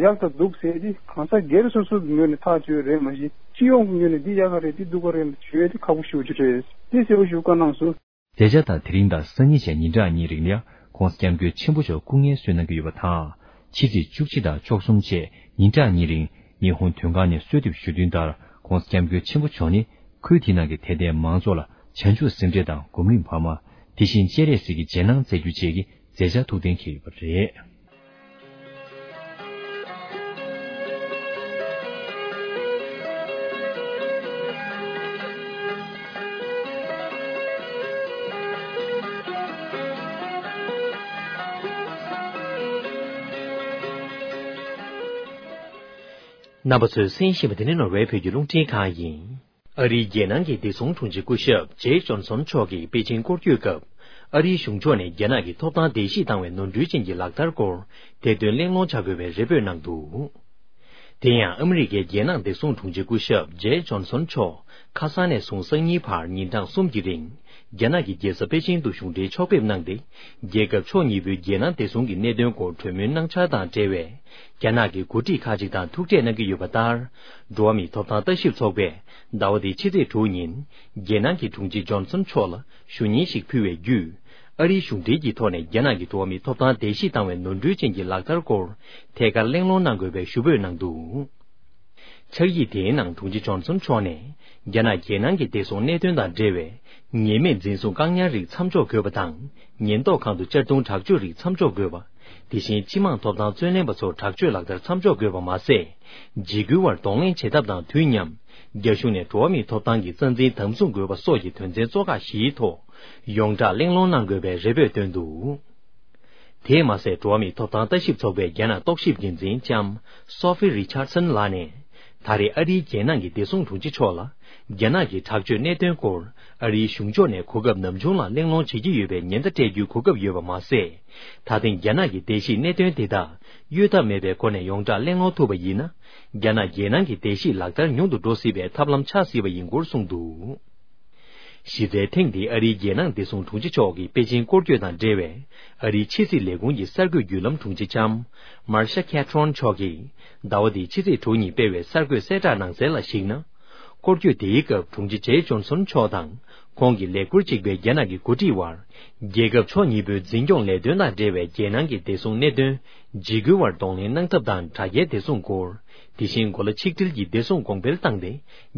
ཡག་དང་སྡུག་ཟེར་དེ་གང་ཟག་སྒེར་སོ་སོའི་ངོས་ནས་ཐག་གཅོད་རེད། མ་གཞི་སྤྱི་ཡོངས་ཀྱི་ངོས་ནས་འདི་ཡག་ག་རེད་འདི་སྡུག་ག་རེད་ཞུ་ཡས་དེ་ཁག་པོ་ཞེ་པོ་ཅིག་རེད། དེ་གསལ་པོ་ཞེ་པོ་བཀའ་གནང་སོང་། མཛད་འཆར་དང་དེ་རིང་དང་སང་ཉིན་བཅས་ཉིན་གྲངས་གཉིས་རིང་ལ་ཡང་ ༧གོང་ས་༧སྐྱབས་མགོན་ཆེན་པོ་མཆོག་སྐུ་ངལ་གསོའི་གནང་གི་ཡོད་པ་དང་། ཕྱི་ཚེས་བཅུ་གཅིག་དང་བཅུ་གསུམ་བཅས་ཉིན་གྲངས་གཉིས་རིང་ཉི་ཧོང་དོན་ཁང་ནས་གསོལ་འདེབས་ཞུ་དོན་ལྟར་༧གོང་ས་༧སྐྱབས་མགོན་ཆེན་པོ་མཆོག་ནི་ཁུལ་དེ་ནང་གི་དད་ལྡན་མང་ཚོགས་ལ་བྱང་ཆུབ་སེམས་ཁྲལ་དང་སྒོམ་རིམ་འཕར་མ། དེ་བཞིན་སྤྱན་རས་གཟིགས་ཀྱི་རྗེས་གནང་སྩལ་རྒྱུ་བཅས་ཀྱི་མཛད་འཆར་ཐུགས་གཏན་འཁེལ་ཡོད་པ་རེད། རྣམ་པ་ཚོས་གསན་བཞིན་པ་འདི་ནི་ནོར་ཝེ་བོད་ཀྱི་རླུང་འཕྲིན་ཁང་ཡིན། ཨ་རིའི་རྒྱལ་ནང་གི་བདེ་སྲུང་དྲུང་ཆེ་སྐུ་ཞབས་ཇེ་ཇོན་སོན་མཆོག་གིས་པེ་ཅིང་སྐོར་སྐྱོད་སྐབས། ཨ་རིའི་གཞུང་ཕྱོགས་ནས་རྒྱ་ནག་གི་ཐོབ་ཐང་བརྡལ་བཤིག་བཏང་བའི་ནོར་འཁྲུལ་ཅན་གྱི་ལག་བསྟར་སྐོར་དེ་དོན་གླེང་སློང་བྱ་དགོས་པའི་རེ་འབོད་གནང་འདུག། དེ་ཡང་ཨ་མི་རི་ཀའི་རྒྱལ་ནང་བདེ་སྲུང་དྲུང་ཆེ་སྐུ་ཞབས་ཇེ་ཇོན་སོན་མཆོག་ཁ་སང་ནས་བཟུང་སང་ཉིན་བར་ཉིན་གྲངས་གསུམ་གྱི་རིང་། རྒྱ་ནག་གི་རྒྱལ་ས་པེ་ཅིང་དུ་གཞུང་འབྲེལ་ཕྱོགས་ཕེབས་གནང་སྟེ། རྒྱལ་ཁབ་ཕྱོགས་གཉིས་པོའི་རྒྱལ་ནང་བདེ་སྲུང་གི་གནད་དོན་སྐོར་གྲོས་མོལ་གནང་འཆར་དང་འབྲེལ་བའི། རྒྱ་ནག་གི་འགོ་ཁྲིད་ཁག་ཅིག་དང་ཐུག་འཕྲད་གནང་གི་ཡོད་པ་ལྟར། འགྲོ་བ་མིའི་ཐོབ་ཐང་ལྟ་ཞིབ་ཚོགས་པས་ཟླ་བ་འདིའི་ཕྱི་ཚེས་དྲུག་ཉིན། རྒྱལ་ནང་གི་དྲུང་ཆེ་ཇོན་སོན་མཆོག་ལ་ཞུ་སྙན་ཞིག་ཕུལ་བའི་བརྒྱུད། ཨ་རིའི་གཞུང་འབྲེལ་གྱི་ཐོག་ནས་རྒྱ་ནག་གི་འགྲོ་བ་མིའི་ཐོབ་ཐང་བརྡལ་བཤིག་བཏང་བའི་ནོར་འཁྲུལ་ཅན་གྱི་ལག་བསྟར་སྐོར་ཐད་ཀར་གླེང་སློང་གནང་དགོས་པའི་ཞུ་འབོད་གནང་འདུག། ཕྱག་ཡིག་དེའི་ནང་དྲུང་ཆེ་ཇོན་སོན་མཆོག་ནས། རྒྱ་ནག་རྒྱལ་ནང་གི་བདེ་སྲུང་གནད་དོན་དང་འབྲེལ་བའི་ཉེས་མེད་འཛིན་བཟུང་བཀག་ཉར་རིགས་མཚམས་འཇོག་དགོས་པ་དང་། ཉེན་རྟོག་ཁང་དུ་གཅར་རྡུང་དྲག་སྤྱོད་རིགས་མཚམས་འཇོག་དགོས་པ། དེ་བཞིན་སྤྱི་དམངས་ཐོབ་ཐང་རྩོད་ལེན་པ་ཚོར་དྲག་སྤྱོད་ལག་བསྟར་མཚམས་འཇོག་དགོས་པ་མ་ཟད། འཇིགས་སྐུལ་བར་གདོང་ལེན་བྱེད་ཐབས་དང་དུས་མཉམ། རྒྱ་གཞུང་ནས་འགྲོ་བ་མིའི་ཐོབ་ཐང་གི་རྩ་འཛིན་དམ་བཟུང་དགོས་པ་སོགས་ཀྱི་དོན་ཚན་གཙོ་ཁག་བཞིའི་ཐོག་ཡོངས་གྲགས་གླེང་སློང་གནང་དགོས་པའི་རེ་འབོད་བཏོན་འདུག། དེས་མ་ཟད། འགྲོ་བ་མིའི་ཐོབ་ཐང་ལྟ་ཞིབ་ཚོགས་པའི་རྒྱ་ནག་རྟོག་ཞིབ་འགན་འཛིན་ལྕམ་སོ་ཧྥི་རི་ཆར་སན་ལགས་ནས། ད་རེས་ཨ་རིའི་རྒྱལ་ནང་གི་བདེ་སྲུང་དྲུང་ཆེ་མཆོག་ལ། རྒྱ་ནག་གི་དྲག་སྤྱོད་གནད་དོན་སྐོར་ཨ་རིའི་གཞུང་ཕྱོགས་ནས་གོ་སྐབས་ནམ་བྱུང་ལ་གླེང་སློང་བྱེད་ཀྱི་ཡོད་པའི་ཉེན་བརྡ་སྤྲད་རྒྱུའི་གོ་སྐབས་ཡོད་པ་མ་ཟད། ད་ཐེངས་རྒྱ་ནག་གི་བརྡལ་བཤིག་གནད་དོན་དེ་དག་གཡོལ་ཐབས་མེད་པའི་སྒོ་ནས་ཡོངས་གྲགས་གླེང་སློང་ཐུབ་པ་ཡིན་ན། རྒྱ་ནག་རྒྱལ་ནང་གི་བརྡལ་བཤིག་ལག་བསྟར་ཉུང་དུ་འགྲོ་སྲིད་པའི་ཐབས་ལམ་ཆགས་སྲིད་པ་ཡིན་སྐོར་གསུངས་འདུག། གཞི་རྩའི་ཐེངས་འདིའི་ཨ་རིའི་རྒྱལ་ནང་བདེ་སྲུང་དྲུང་ཆེ་མཆོག་གི་པེ་ཅིང་སྐོར་སྐྱོད་དང་འབྲེལ་བའི་ཨ་རིའི་ཕྱི་སྲིད་ལས་ཁུངས་ཀྱི་གསར་འགོད་བརྒྱུད་ལམ་དྲུང་ཆེ་ལྕམ་མར་ཤ་ཁེ་ཁྲོན་མཆོག་གིས། ཟླ་བ་འདིའི་ཕྱི་ཚེས་དྲུག་ཉིན་སྤེལ་བའི་གསར་འགོད་གསལ་བསྒྲགས་ནང་གསལ་ལ་གཞིགས་ན། སྐོར་སྐྱོད་དེའི་སྐབས་དྲུང་ཆེ་ཇེ་ཇོན་སོན་མཆོག་དང་ཁོང་གི་ལས་ཁུར་གཅིག་པའི་རྒྱ་ནག་གི་འགོ་ཁྲིད་དབར། རྒྱལ་ཁབ་ཕྱོགས་གཉིས་པོའི་འཛིན་སྐྱོང་ལས་དོན་དང་འབྲེལ་བའི་རྒྱལ་ནང་གི་བདེ་སྲུང་གནད་དོན། འཇིགས་སྐུལ་བར་གདོང་ལེན་གནང་ཐབས་དང་དྲ་རྒྱའི་བདེ་སྲུང་སྐོར། དེ་བཞིན་གོ་ལ་ཆིག་སྒྲིལ་གྱི་བདེ་སྲུང་གོང་འཕེལ་བཏང་སྟེ།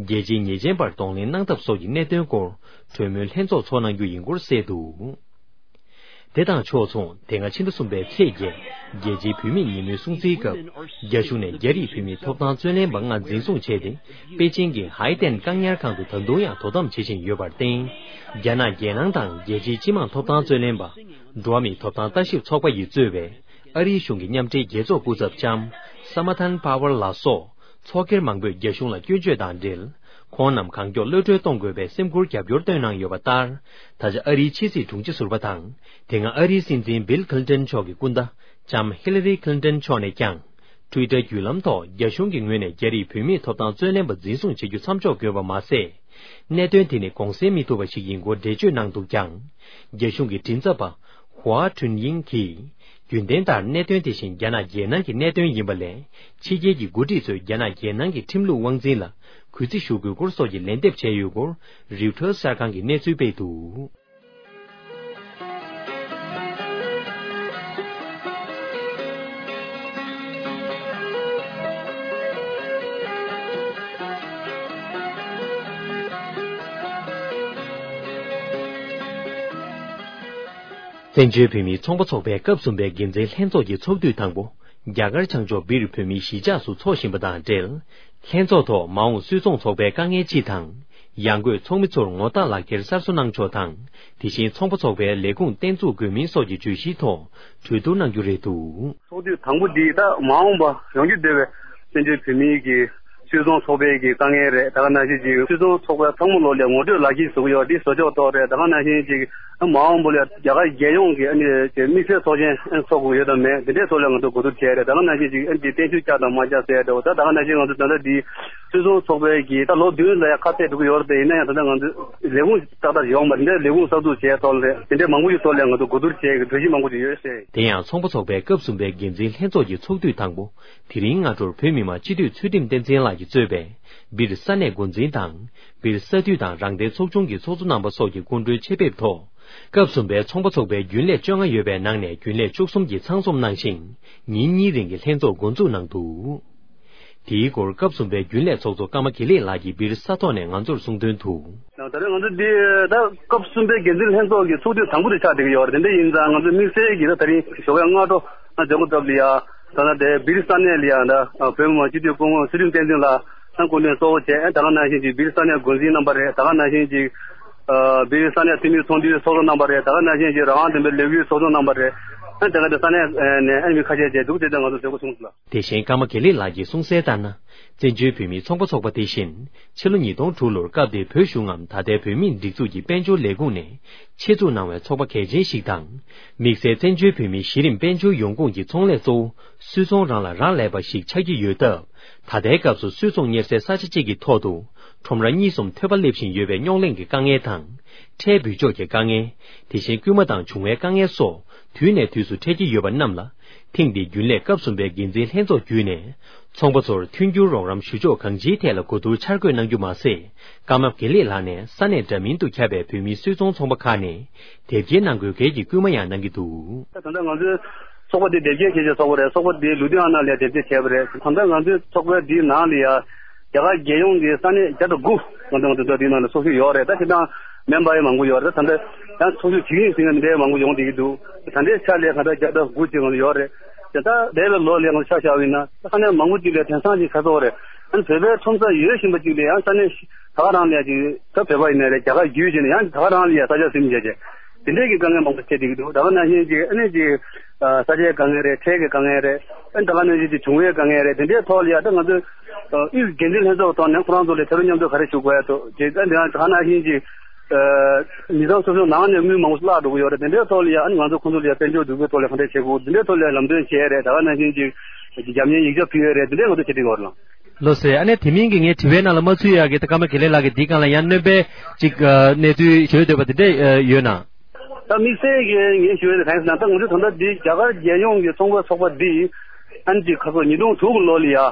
རྒྱལ་སྤྱིའི་ཉེས་ཅན་པར་གདོང་ལེན་གནང་ཐབས་སོགས་ཀྱི་གནད་དོན་སྐོར་གྲོས་མོལ་ལྷན་ཚོགས་ཚོགས་གནང་རྒྱུ་ཡིན་སྐོར་གསལ་འདུག། དེ་དང་ཕྱོགས་མཚུངས། དེ་སྔ་ཕྱི་ཟླ་གསུམ་པའི་ཚེས་བརྒྱད། རྒྱལ་སྤྱིའི་བུད་མེད་ཉིན་མོའི་སྲུང་བརྩིའི་སྐབས། རྒྱ་གཞུང་ནས་རྒྱ་རིགས་བུད་མེད་ཐོབ་ཐང་རྩོད་ལེན་པ་ལྔ་འཛིན་བཟུང་བྱས་ཏེ། པེ་ཅིང་གི་ཧའེ་ཏན་བཀག་ཉར་ཁང་དུ་ད་དུང་ཡང་དོ་དམ་བྱེད་བཞིན་ཡོད་པར་བརྟེན། རྒྱ་ནག་རྒྱལ་ནང་དང་རྒྱལ་སྤྱིའི་སྤྱི་དམངས་ཐོབ་ཐང་རྩོད་ལེན་པ། འགྲོ་བ་མིའི་ཐོབ་ཐང་ལྟ་ཞིབ་ཚོགས་པ་ཡིས་གཙོས་པའི་ཨ་རིའི་གཞུང་གི་མཉམ་འབྲེལ་རྒྱལ་ཚོགས་སྐུ་ཚབ་ལྕམ་Samantha Power ལགས་སོགས། ཚོགས་སྒེར་མང་པོས་རྒྱ་གཞུང་ལ་སྐྱོན་བརྗོད་དང་འབྲེལ། ཁོང་རྣམས་གང་མགྱོགས་གློད་གྲོལ་གཏོང་དགོས་པའི་སེམས་ཁུར་རྒྱབ་སྐྱོར་བཏོན་གནང་ཡོད་པ་ལྟར། ད་ཆ་ཨ་རིའི་ཕྱི་སྲིད་དྲུང་ཆེ་ཟུར་པ་དང་། དེ་སྔ་ཨ་རིའི་སྲིད་འཛིན་བིལ་ཁི་ལིན་ཏོན་མཆོག་གི་སྐུ་ཟླ་ལྕམ་ཧི་ལ་རི་ཁི་ལིན་ཏོན་མཆོག་ནས་ཀྱང་། ཊུའི་ཊར་བརྒྱུད་ལམ་ཐོག་རྒྱ་གཞུང་གི་ངོས་ནས་རྒྱ་རིགས་བུད་མེད་ཐོབ་ཐང་རྩོད་ལེན་པ་འཛིན་བཟུང་བྱེད་རྒྱུ་མཚམས་འཇོག་དགོས་པ་མ་ཟད། གནད་དོན་དེ་ནི་དགོངས་སེལ་མི་ཐུབ་པ་ཞིག་ཡིན་སྐོར་འགྲེལ་བརྗོད་གནང་འདུག་ཀྱང་། རྒྱ་གཞུང་གི་མགྲིན་ཚབ་པ། ཧུའ་ཁྲུན་དབྱིང་གིས། རྒྱུན་ལྡན་ལྟར་གནད་དོན་དེ་བཞིན་རྒྱ་ནག་རྒྱལ་ནང་གི་གནད་དོན་ཡིན་པ་ལས། ཕྱི་རྒྱལ་གྱི་འགོ་ཁྲིད་ཚོས་རྒྱ་ནག་རྒྱལ་ནང་གི་ཁྲིམས་ལུགས་དབང་འཛིན་ལ་གུས་བརྩི་ཞུ་དགོས་སྐོར་སོགས་ཀྱི་ལན་འདེབས་བྱས་ཡོད་སྐོར། རིའུ་ཊར་གསར་ཁང་གིས་གནས་ཚུལ་སྤེལ་འདུག། བཙན་བྱོལ་བོད་མིའི་ཚོང་པ་ཚོགས་པའི་སྐབས་གསུམ་པའི་འགན་འཛིན་ལྷན་ཚོགས་ཀྱི་ཚོགས་དུས་དང་པོ། རྒྱ་གར་བྱང་ཕྱོགས་སྦིར་བོད་མིའི་གཞིས་ཆགས་སུ་འཚོགས་བཞིན་པ་དང་འབྲེལ། ལྷན་ཚོགས་ཐོག་མ་འོངས་སུད་ཚོང་ཚོགས་པའི་དཀའ་ངལ་སྤྱི་དང་། ཡང་སྒོས་ཚོགས་མི་ཚོར་ངོ་རྟགས་ལག་འཁྱེར་གསར་བཟོ་གནང་ཕྱོགས་དང་། དེ་བཞིན་ཚོང་པ་ཚོགས་པའི་ལས་ཁུངས་བརྟན་བཙུགས་དགོས་མིན་སོགས་ཀྱི་བརྗོད་གཞིའི་ཐོག་གྲོས་བསྡུར་གནང་རྒྱུ་རེད་འདུག། ཚོགས་དུས་དང་པོ་འདི་ད་མ་འོངས་པ་ཡོང་རྒྱུ་འདོད་པའི་བཙན་བྱོལ་བོད་མིའི་གི་སུད་ཚོང་ཚོགས་པའི་གི་དཀའ་ངལ་རེད། ད་ག་ནང་བཞིན་ཅིག་སུད་ཚོང་ཚོགས་པའི་ཚང་མ་ལོ་ལ་ངོ་སྤྲོད་ལག་འཁྱེར་བཟོ་གི་ཡོད། འདི་བཟོ་ཕྱོགས་ཐོག་རེད། ད་ག་ནང་བཞིན་ཅིག་མ་འོངས་པ་ལ་རྒྱ་གར་རྒྱལ་ཡོངས་ཀྱི་ཨ་ནི་དམིགས་བསལ་ཚོགས་ཆེན་ཚོགས་དགོས་ཡོད་དམ་མེད། དེ་འདྲའི་ཐོག་ལ་ང་ཚོ་གོ་བསྡུར་བྱས་རེད། ད་ག་ནང་བཞིན་ཅིག་ཨ་ནི་བརྟན་བཞུགས་བསྐྱངས་དང་མ་བསྐྱངས་ཟེར་ཡ་འདྲ་བོ། ད་ད་ག་ནང་བཞིན་ང་ཚོ་ད་ལྟ་འདི་སུད་ཚོང་ཚོགས་པའི་གི་ད་ལོ་བདུན་ལ་ཡ་ཁ་གཏད་འགྲོ་གི་ཡོད་རེད་དེ། ཡིན་ན་ཡང་ད་ལྟ་ང་ཚོ་ལས་ཁུངས་ཏག་ཏག་ཡོང་བ་འདི་ལས་ཁུངས་གསར་འཛུགས་བྱས་ཐོག་ལ་དེ་འདྲའི་མང་པོ་ཞིག་ཐོག་ལ་ང་ཚོ་གོ་བསྡུར་བྱས་གི་གྲོས་གཞི་མང་པོ་ཞིག་ཡོད་ཟེར། དེ་ཡང་ཚོང་པ་ཚོགས་པའི་སྐབས་གསུམ་པའི་འགན་འཛིན་ལྷན་ཚོགས་ཀྱི་ཚོགས་དུས་དང་པོ། དེ་རིང་སྔ་དྲོར་བོད་མི་མང་སྤྱི་འཐུས་ཚུལ་ཁྲིམས་བསྟན་འཛིན་ལགས་ཀྱིས་གཙོས་པའི་སྦིར་ས་གནས་འགོ་འཛིན་དང་། སྦིར་ས་འཐུས་དང་རང་བདེན་ཚོགས་ཆུང་གི་ཚོགས་གཙོ་རྣམ་པ་སོགས་ཀྱི་སྐུ་མགྲོན་ཆེད་ཕེབས་ཐོག་ སྐབས་གསུམ་པའི་ཚོང་པ་ཚོགས་པའི་རྒྱུན་ལས་བཅོ་ལྔ་ཡོད་པའི་ནང་ནས་རྒྱུན་ལས་བཅུ་གསུམ་གྱིས་ཚང་འཛོམས་གནང་ཞིང་། ཉིན་གཉིས་རིང་གི་ལྷན་ཚོགས་འགོ་འཛུགས་གནང་འདུག་དེའི་སྐོར་སྐབས་གསུམ་པའི་རྒྱུན་ལས་ཚོགས་གཙོ་ཀརྨ་དགེ་ལེགས་ལགས་ཀྱིས་བིར་ས་ཐོག་ནས་ང་ཚོར་གསུངས་དོན་དུ། ད་རེས་ང་ཚོ་འདི་ད་སྐབས་གསུམ་པའི་འགན་འཛིན་ལྷན་ཚོགས་ཀྱི་ཚོགས་དུས་དང་པོ་དེ་ཆགས་བསྡད་ཀྱི་ཡོད་རེད། དེ་འདྲ་ཡིན་ཙང་ང་ཚོ་དམིགས་བསལ་གྱིས་ད་ད་རིང་ཞོགས་པའི་སྔ་དྲོ་ང་ཇོ་ཀོ་ཏབ་ལ་ཡ། ད་ལྟ་དེ་བིར་ས་གནས་ལ་ཡ་ད་བོད་མི་མང་སྤྱི་འཐུས་སྐུ་ངོ་ཚེ་རིང་བསྟན་འཛིན་ལགས་ད་སྐུ་མགྲོན་གཙོ་བོ་བྱས། ད་ག་ནང་བཞིན་གྱི་བིར་ས་གནས་འགོ་འཛིན་རྣམ་པ་རེད། ད་ག་ནང་བཞིན་གྱི་བིར་ས་གནས་འཐུས་མི་ཚོགས་འདུའི་ཚོགས་གཙོ་རྣམ་པ་རེད། ད་ག་ནང་བཞིན་གྱི་རང་དབང་ལྡན་པའི་ལས་འགུལ་ཚོགས་གཙོ་རྣམ་པ་རེད། ད་ག་དེ་ས་གནས་ནས་ཨ་མི་ཁ་ཤས་བཅས་འདུག་དེ་ལྟར་ང་ཚོ་མཛད་སྒོ་ཚོགས་འདུག་ལ། དེ་བཞིན་ཀརྨ་དགེ་ལེགས་ལགས་ཀྱིས་གསུངས་གསལ་ལྟར་ན། བཙན་བྱོལ་བོད་མིའི་ཚོང་པ་ཚོགས་པ་དེ་བཞིན་ཕྱི་ལོ་ཉིས་སྟོང་དྲུག་ལོར་སྐབས་དེའི་བོད་གཞུང་ངམ་ད་ལྟའི་བོད་མིའི་སྒྲིག་འཛུགས་ཀྱི་དཔལ་འབྱོར་ལས་ཁུངས་ནས་ཆེད་འཛུགས་གནང་བའི་ཚོགས་པ་གལ་ཆེན་ཞིག་དང་། དམིགས་བསལ་བཙན་བྱོལ་བོད་མིའི་གཞི་རིམ་དཔལ་འབྱོར་ཡོང་ཁུངས་ཀྱི་ཚོང་ལས་གཙོ་བོ་སུད་ཚོང་རང་ལ་རག་ལས་པ་ཞིག་ཆགས་ཀྱི་ཡོད་སྟབས། ད་ལྟའི་སྐབས་སུ་སུད་ཚོང་གཉེར་སའི་ས་ཆ་གཅིག་གི་ཐོག་ཏུ་ཁྲོམ་ར་གཉིས་གསུམ་ཐོན་པ་སླེབས་བཞིན་ཡོད་པའི་རྙོག་གླེང་གི་དཀའ་ངལ་དང་། ཁྲལ་འབུལ་ཕྱོགས་ཀྱི་དཀའ་ངལ། དེ་བཞིན་སྐུལ་མ་དང་བྱུང་བའི་དཀའ་ངལ་སོགས་དུས་ནས་དུས་སུ་འཕྲད་ཀྱི་ཡོད་པ་རྣམས་ལ། ཐེངས་འདིའི་རྒྱུན་ལས་སྐབས་གསུམ་པའི་འགན་འཛིན་ལྷན་ཚོགས་བརྒྱུད་ནས། ཚོང་པ་ཚོར་མཐུན་འགྱུར་རོགས་རམ་ཞུ་ཕྱོགས་གང་ཅིའི་ཐད་ལ་གོ་བསྡུར་འཆར་འགོད་གནང་རྒྱུ་མ་ཟད། ཀརྨ་དགེ་ལེགས་ལགས་ནས་ས་གནས་འདྲ་མིན་དུ་ཁྱབ་པའི་བོད་མིའི་སུད་ཚོང་ཚོང་པ་ཁག་ནས་དེབ་སྐྱེལ་གནང་དགོས་གལ་གྱི་སྐུལ་མ་ཡང་གནང་གི་འདུག་ད་ལྟ་ང་ཚོའི་ཚོགས་པ་འདི་དེབ་སྐྱེལ་བྱེད་བྱེད་ཚོགས་པ་རེད། ཚོགས་པ་འདི་ལུ་དྷི་ཡ་ན་ལ་དེབ་སྐྱེལ་བྱས་པ་རེད། ད་ལྟ་ང་ཚོའི་ཚོགས་པའི་འདིའི་ནང་ལ་ཡ། རྒྱ་གར་རྒྱལ་ཡོངས་ཀྱི་ས་གནས་བརྒྱ་དང་དགུ་ང་ཚོ་ང་ཚོ་འདིའི་ནང་ལ་ཚོགས་ཞུགས་ཡོད་རེད། ད་ཁྱེད་རང་མེམ་བར་ཡང་མང་པོ་ཡོད་རེད། ད་ད་ལྟ་ཡང་ཚོགས་ཞུགས་བྱེད་ཀྱི་ཡིན་ཟེར་ནས་འདྲ་མང་པོ་ཡོང་བསྡད་ཀྱི་འདུག་ད་ལྟའི་ཆ་ལས་ང་ཚོ་བརྒྱ་དང་དགུ་ཅིག་ང་ཚོ་ཡོད་རེད། དེ་ད་འདས་པའི་ལོ་ལས་ང་ཚོ་ཆ་བཞག་པ་ཡིན་ན་ད་ས་གནས་མང་པོ་ཅིག་ལ་དེང་སང་ཅིག་ཁ་ཐོག་རེད། ཨ་ནི་བོད་པའི་ཁྲོམ་ས་ཡོད་བཞིན་པ་ཅིག་ལ་ཡང་ས་གནས་ད་ག་རང་ལ་ཡ་ཅིག་ད་བོད་པ་ཡིན་ནའི་རེད། རྒྱ་གར་བརྒྱུད་བྱས་ནས་ཡང་ད་ག་རང་ལ་ཡ་ས་ཆ་ཟིན་བྱས་བྱས་དེ་འདྲས་ཀྱི་དཀའ་ངལ་མང་པོ་འཕྲད་བསྡད་ཀྱི་འདུག་ད་ག་ནང་བཞིན་ཅིག་ཨ་ནི་ཅིག་ས་ཆའི་དཀའ་ངལ་རེད། ཁྲལ་གྱི་དཀའ་ངལ་རེད། ཨ་ནི་ད་ག་ནང་བཞིན་ཅིག་བྱུང་བའི་དཀའ་ངལ་རེད། དེ་འདྲའི་ཐོག་ལ་ཡ་ད་ང་ཚོས་དབུས་འགན་འཛིན་ལྷན་ཚོགས་ཐོག་ནས་ཁོ་རང་ཚོ་ལ་ཐད་རོགས་མཉམ་འཛོམས་ག་རེ་ཞུ་དགོས་ཡ་ཐོག་ཅིག་ཨ་ནི་ད་ག་ནང་བཞིན་ཅིག་མི་ཚང་སོ་སོའི་ནང་ནས་དངུལ་མང་པོ་བརླག་འགྲོ་གི་ཡོད་རེད། དེ་འདྲའི་ཐོག་ལ་ཡ་ཨ་ནི་ང་ཚོ་ཁོང་ཚོ་ལ་ཡ་དཔལ་འབྱོར་འཛུགས་སྐྲུན་ཐོག་ལ་ག་འདྲ་བྱེད་དགོས། དེ་འདྲའི་ཐོག་ལ་ཡ་ལམ་སྟོན་བྱས་རེད། ད་ག་ནང་བཞིན་ཅིག་རྒྱབ་གཉེར་ཡིག་ཆ་ཕུལ་ཡོད་རེད། དེ་འདྲའི་ང་ཚོ་བྱེད་ཀྱི་ཡོད་རེད་ལགས། ལགས་སོ། ཨ་ནི་དེ་མིན་གྱི་ངས་དྲི་བའི་ནང་ལ་མ་ཚུད་ཡག་གི་ད་ཀརྨ་དགེ་ལེགས་ལགས་ཀྱིས་འདིའི་སྒང་ལ་ཡང་སྣོན་པ་ཅིག་ཨ་གནས་ཚུལ་ཞུ་འདོད་པ་དེ་འདྲ་ཨ་ཡོད་ན། ད་དམིགས་བསལ་གྱི་ངས་ཞུ་ཡ་དེ་གང་ཡིན་ཟེར་ན། ད་ང་ཚོས་ད་ལྟ་འདི་རྒྱ་གར་རྒྱལ་ཡོངས་ཀྱི་ཚོང་པ་ཚོགས་པ་འདི་ཨ་ནི་ཅིག་ཁ་སོ་ཉིས་སྟོང་དྲུག་གི་ལོ་ལ་ཡ་ཨ་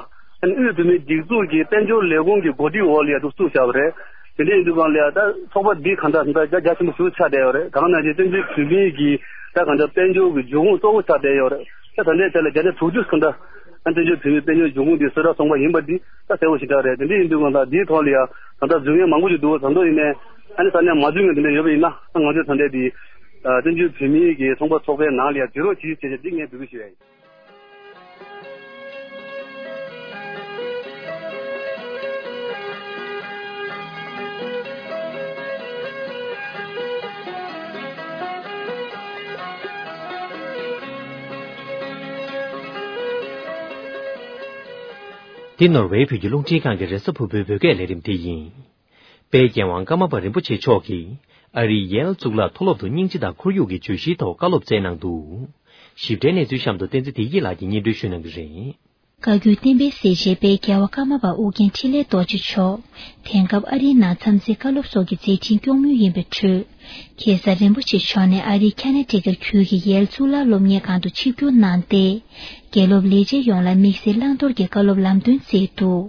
ནི་དབུས་བོད་མིའི་སྒྲིག་འཛུགས་ཀྱི་དཔལ་འབྱོར་ལས་ཁུངས་ཀྱི་གོ་སྒྲིག་འོག་ལ་ཡ་འདུག་བཙུགས་བཞག་པ་རེད། དེ་འདྲ་ཡིན་དུས་སྒང་ལ་ཡ་ད་ཚོགས་པ་འདི་གང་ལྟར་ད་རྒྱ་ཆེན་པོ་ཞིག་ཆགས་བསྡད་ཡོད་རེད། ད་ག་ནང་བཞིན་བཙན་བྱོལ་བོད་མིའི་གི་ད་གང་ལྟར་དཔལ་འབྱོར་གྱི་འབྱུང་ཁུངས་གཙོ་བོ་ཆགས་བསྡད་ཡོད་རེད། ད་ད་ལྟའི་ཆ་ལ་བརྒྱ་ཆ་དྲུག་ཅུ་གང་ལྟར་ཨ་བཙན་བྱོལ་བོད་མིའི་དཔལ་འབྱོར་འབྱུང་ཁུངས་འདི་གསོལ་རས་ཚོང་པ་ཡིན་པ་འདི་ད་གསལ་པོ་ཞེ་དྲག་རེད། དེ་འདྲ་ཡིན་དུས་སྒང་ལ་འདིའི་ཐོག་ལ་ཡ་ད་ལྟ་འཛུལ་མཁན་མང་པོ་ཞིག་འདུག་ད་དུང་ཡིན་ནའི་ཨ་ནི་ས་གནས་མ་འཛུལ་མཁན་དེ་འདྲ་ཡོད་པ་ཡིན་ན་ང་ཚོས་ད་ལྟའི་འདི་བཙན་བྱོལ་བོད་མིའི་གི་ཚོང་པ་ཚོགས་པའི་ནང་ལ་ཡ་འཛུལ་རོགས་བྱེད་ཅེས་བྱས་འདི་ངས་འབོད་སྐུལ་ཞུ་ཡ་ཡིན། འདི་ནོར་ཝེ་བོད་ཀྱི་རླུང་འཕྲིན་ཁང་གི་རེས་གཟའ་ཕུར་བུའི་བོད་སྐད་ལས་རིམ་དེ་ཡིན། དཔལ་རྒྱལ་དབང་ཀརྨ་པ་རིན་པོ་ཆེ་མཆོག་གིས་ཨ་རིའི་ཡེལ་གཙུག་ལག་མཐོ་སློབ་ཏུ་སྙིང་རྗེ་དང་ཁོར་ཡུག་གི་བརྗོད་གཞིའི་ཐོག་བཀའ་སློབ་སྩལ་གནང་འདུག་ཞིབ་ཕྲའི་གནས་ཚུལ་གཤམ་དུ་བསྟན་འཛིན་བདེ་སྐྱིད་ལགས་ཀྱིས་སྙན་སྒྲོན་ཞུ་གནང་གི་རེད། བཀའ་བརྒྱུད་བསྟན་པའི་གསལ་བྱེད་དཔལ་རྒྱལ་བ་ཀརྨ་པ་ཨོ་རྒྱན་འཕྲིན་ལས་རྡོ་རྗེ་མཆོག་དེང་སྐབས་ཨ་རིའི་ནང་འཚམས་གཟིགས་བཀའ་སློབ་སོགས་ཀྱི་མཛད་འཕྲིན་སྐྱོང་མུས་ཡིན་པའི་ཁྲོད། ཁ་སང་རིན་པོ་ཆེ་མཆོག་ནས་ཨ་རིའི་ཁ་ན་ཊི་ཀཊ་ཁུལ་གྱི་ཡེལ་གཙུག་ལག་སློབ་གཉེར་ཁང་དུ་ཆིབས་བསྒྱུར་གནང་སྟེ། དགེ་སློབ་ལས་བྱེད་ཡོངས་ལ་དམིགས་བསལ་བླང་དོར་གྱི་བཀའ་སློབ་ལམ་སྟོན་སྩལ་འདུག་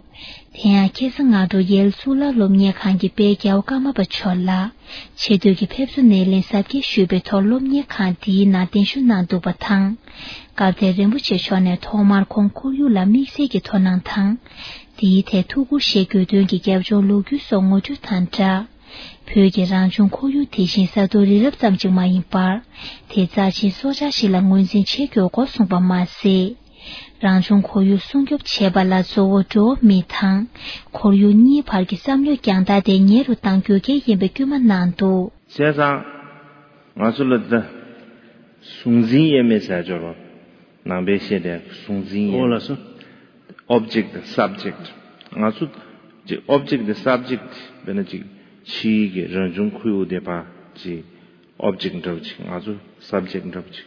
དེ་ཡང་ཁ་སང་སྔ་དྲོ་ཡེལ་གཙུག་ལག་སློབ་གཉེར་ཁང་གི་དཔལ་རྒྱལ་བ་ཀརྨ་པ་མཆོག་ལ་ཆེ་བསྟོད་ཀྱི་ཕེབས་བསུ་སྣེ་ལེན་གཟབ་རྒྱས་ཞུས་པའི་ཐོག་སློབ་གཉེར་ཁང་འདིའི་ནང་གདན་ཞུ་གནང་འདུག་པ་དང་། སྐབས་དེར་རིན་པོ་ཆེ་མཆོག་ནས་ཐོག་མར་ཁོང་ཁོར་ཡུག་ལ་དམིགས་བསལ་གྱི་དོ་སྣང་དང་། དེའི་ཐད་ཐུགས་ཁུར་བཞེས་དགོས་དོན་གྱི་རྒྱབ་ལྗོངས་ལོ་རྒྱུས་སོགས་ངོ་སྤྲོད་དང་སྦྲགས། བོད་ཀྱི་རང་བྱུང་ཁོར་ཡུག་དེ་བཞིན་ས་རྡོ་རི་རབ་ཙམ་ཅིག་མ་ཡིན་པར། དེ་རྩ་ཆེན་སྲོག་ཆགས་ཤིག་ལ་ངོས་འཛིན་བྱེད་དགོས་སྐོར་གསུངས་པ་མ་ཟད། རང་བྱུང་ཁོར་ཡུག་སྲུང་སྐྱོབ་བྱེད་པ་ལ་གཙོ་བོ་འགྲོ་བ་མི་དང་ཁོར་ཡུག་གཉིས་བར་གྱི་བསམ་བློའི་རྒྱང་ཐག་དེ་ཉེ་རུ་གཏང་དགོས་གལ་ཡིན་པའི་སྐུལ་མ་གནང་འདུག་བྱས་ཙང་། ང་ཚོ་ལ་ད་གཟུང་འཛིན་དབྱེར་མེད་ཟེར་སྦྱོར་བ་ནང་པའི་བཤད་དེ་གཟུང་འཛིན་དབྱེར་ཨོ་ལགས་སོ། Object དང་Subject། ང་ཚོ་ཅིག་Object དང་Subject དཔེར་ན་ཅིག་ཕྱིའི་གི་རང་བྱུང་ཁོར་ཡུག་དེ་ཕར་ཅིག་Object འདྲ་བོ་ཅིག་ང་ཚོ་Subject འདྲ་བོ་ཅིག་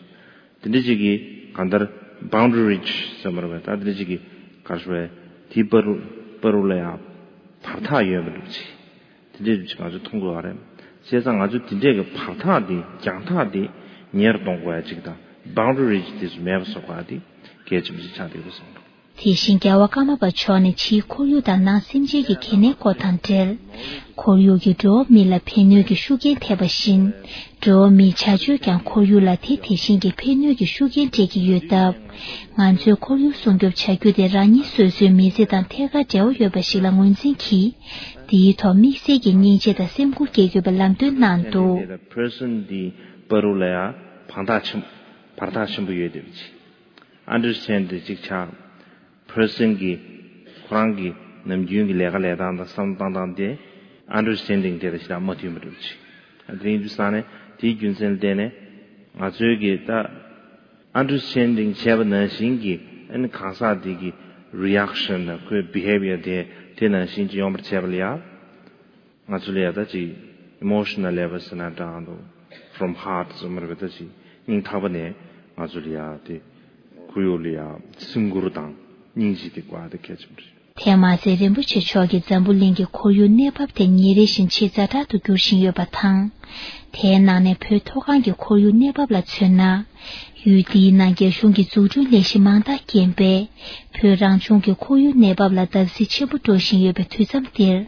དེ་འདྲ་ཅིག་གི་གང་ལྟར་Boundary Ridge ཟེར་མ་རེད་པས། ད་དེ་འདྲ་ཅིག་གི་ག་རེ་ཞུ་དགོས་རེད། དེའི་བར་དུ་བར་དུ་ལ་ཡང་བར་ཐག་ཡོད་མི་འདུག་ཅིག་དེ་འདྲའི་ཅིག་ང་ཚོས་མཐོང་དགོས་པ་རེད། བྱས་ཙང་ང་ཚོས་དེ་འདྲའི་གི་བར་ཐག་དེ་རྒྱང་ཐག་དེ་ཉེ་རུ་གཏོང་དགོས་ཡ་ཅིག་དང་Boundary Ridge དེ་ཚོ་མེད་པ་བཟོ་དགོས་ཡ་དེ་གལ་ཆེན་པོ་ཅིག་ཆགས་བསྡད་ཡོད་པ་བཟོ་འདུག་དེ་བཞིན་རྒྱལ་བ་ཀརྨ་པ་མཆོག་ནས་ཕྱིའི་ཁོར་ཡུག་དང་ནང་སེམས་ཅན་གྱི་གལ་གནད་སྐོར་དང་འབྲེལ། ཁོར་ཡུག་གིས་འགྲོ་བ་མི་ལ་ཕན་གནོད་ཀྱི་ཤུགས་རྐྱེན་ཐེབས་པ་བཞིན། འགྲོ་བ་མིའི་བྱ་སྤྱོད་ཀྱང་ཁོར་ཡུག་ལ་དེ་དེ་བཞིན་གྱི་ཕན་གནོད་ཀྱི་ཤུགས་རྐྱེན་སྤྲད་ཀྱི་ཡོད་སྟབས། ང་ཚོས་ཁོར་ཡུག་སྲུང་སྐྱོབ་བྱ་རྒྱུ་དེ་རང་ཉིད་སོ་སོའི་མི་ཚེ་དང་ཐད་ཀར་འབྲེལ་བ་ཡོད་པ་ཞིག་ལ་ངོས་འཛིན་གྱིས། དེའི་ཐོག་དམིགས་བསལ་གྱི་སྙིང་རྗེ་དང་སེམས་ཁུར་སྐྱེ་དགོས་པའི་ལམ་སྟོན་གནང་འདུག། Person འདིའི་བར་དུ་ལ་ཡང་བར་ཐག་ཆེན་བར་ཐག་ཆེན་པོ་ཡོད་དེ་བྱས། Understanding གཅིག་ཆགས། Person གྱི་ཁོ་རང་གི་ནམ་རྒྱུན་གྱི་ལས་ཀ་ལས་སྟངས་དང་བསམ་བློ་བཏང་སྟངས་དེ་Understanding དེ་དང་ཞེ་དྲག་མ་མཐུན་པ་འདྲ་བྱས། དེ་ཡིན་དུས་ཙང་ནས་དེའི་རྒྱུ་མཚན་ལ་བརྟེན་ནས་ང་ཚོའི་གི་ད་Understanding བྱས་པ་ནང་བཞིན་གྱི་ཨ་ནི་གང་ཟག་དེ་གི་Reaction དང་ཁོའི་Behavior དེ་དེ་ནང་བཞིན་གྱི་ཡོང་བར་བྱས་པ་ལ་ཡང་། ང་ཚོ་ལ་ཡ་ད་ཅིག་emotional level ཟེར་ན་འདྲ་འདུག། From heart ཟེར་མ་རེད་པས། ད་ཅིག་སྙིང་ཐག་པ་ནས་ང་ཚོ་ལ་ཡ་དེ་ཁོར་ཡུག་ལ་ཡ་སེམས་ཁུར་དང་སྙིང་རྗེ་དེ་དགོས་ཡ་དེ་གལ་ཆེན་པོ་རེད། དེ་མ་ཟད་རིན་པོ་ཆེ་མཆོག་གིས་འཛམ་བུ་གླིང་གི་ཁོར་ཡུག་གནས་བབ་དེ་ཉིན་རེ་བཞིན་ཇེ་ཛ་དྲག་ཏུ་འགྱུར་བཞིན་ཡོད་པ་དང་། དེའི་ནང་ནས་བོད་མཐོ་སྒང་གི་ཁོར་ཡུག་གནས་བབ་ལ་མཚོན་ན། ཡུལ་འདིའི་ནང་རྒྱ་གཞུང་གི་འཛུགས་སྐྲུན་ལས་གཞི་མང་དག་རྐྱེན་པས། བོད་རང་བྱུང་གི་ཁོར་ཡུག་གནས་བབ་ལ་བརྡབ་གསིག་ཆེན་པོ་འགྲོ་བཞིན་ཡོད་པའི་དུས་མཚམས་འདིར།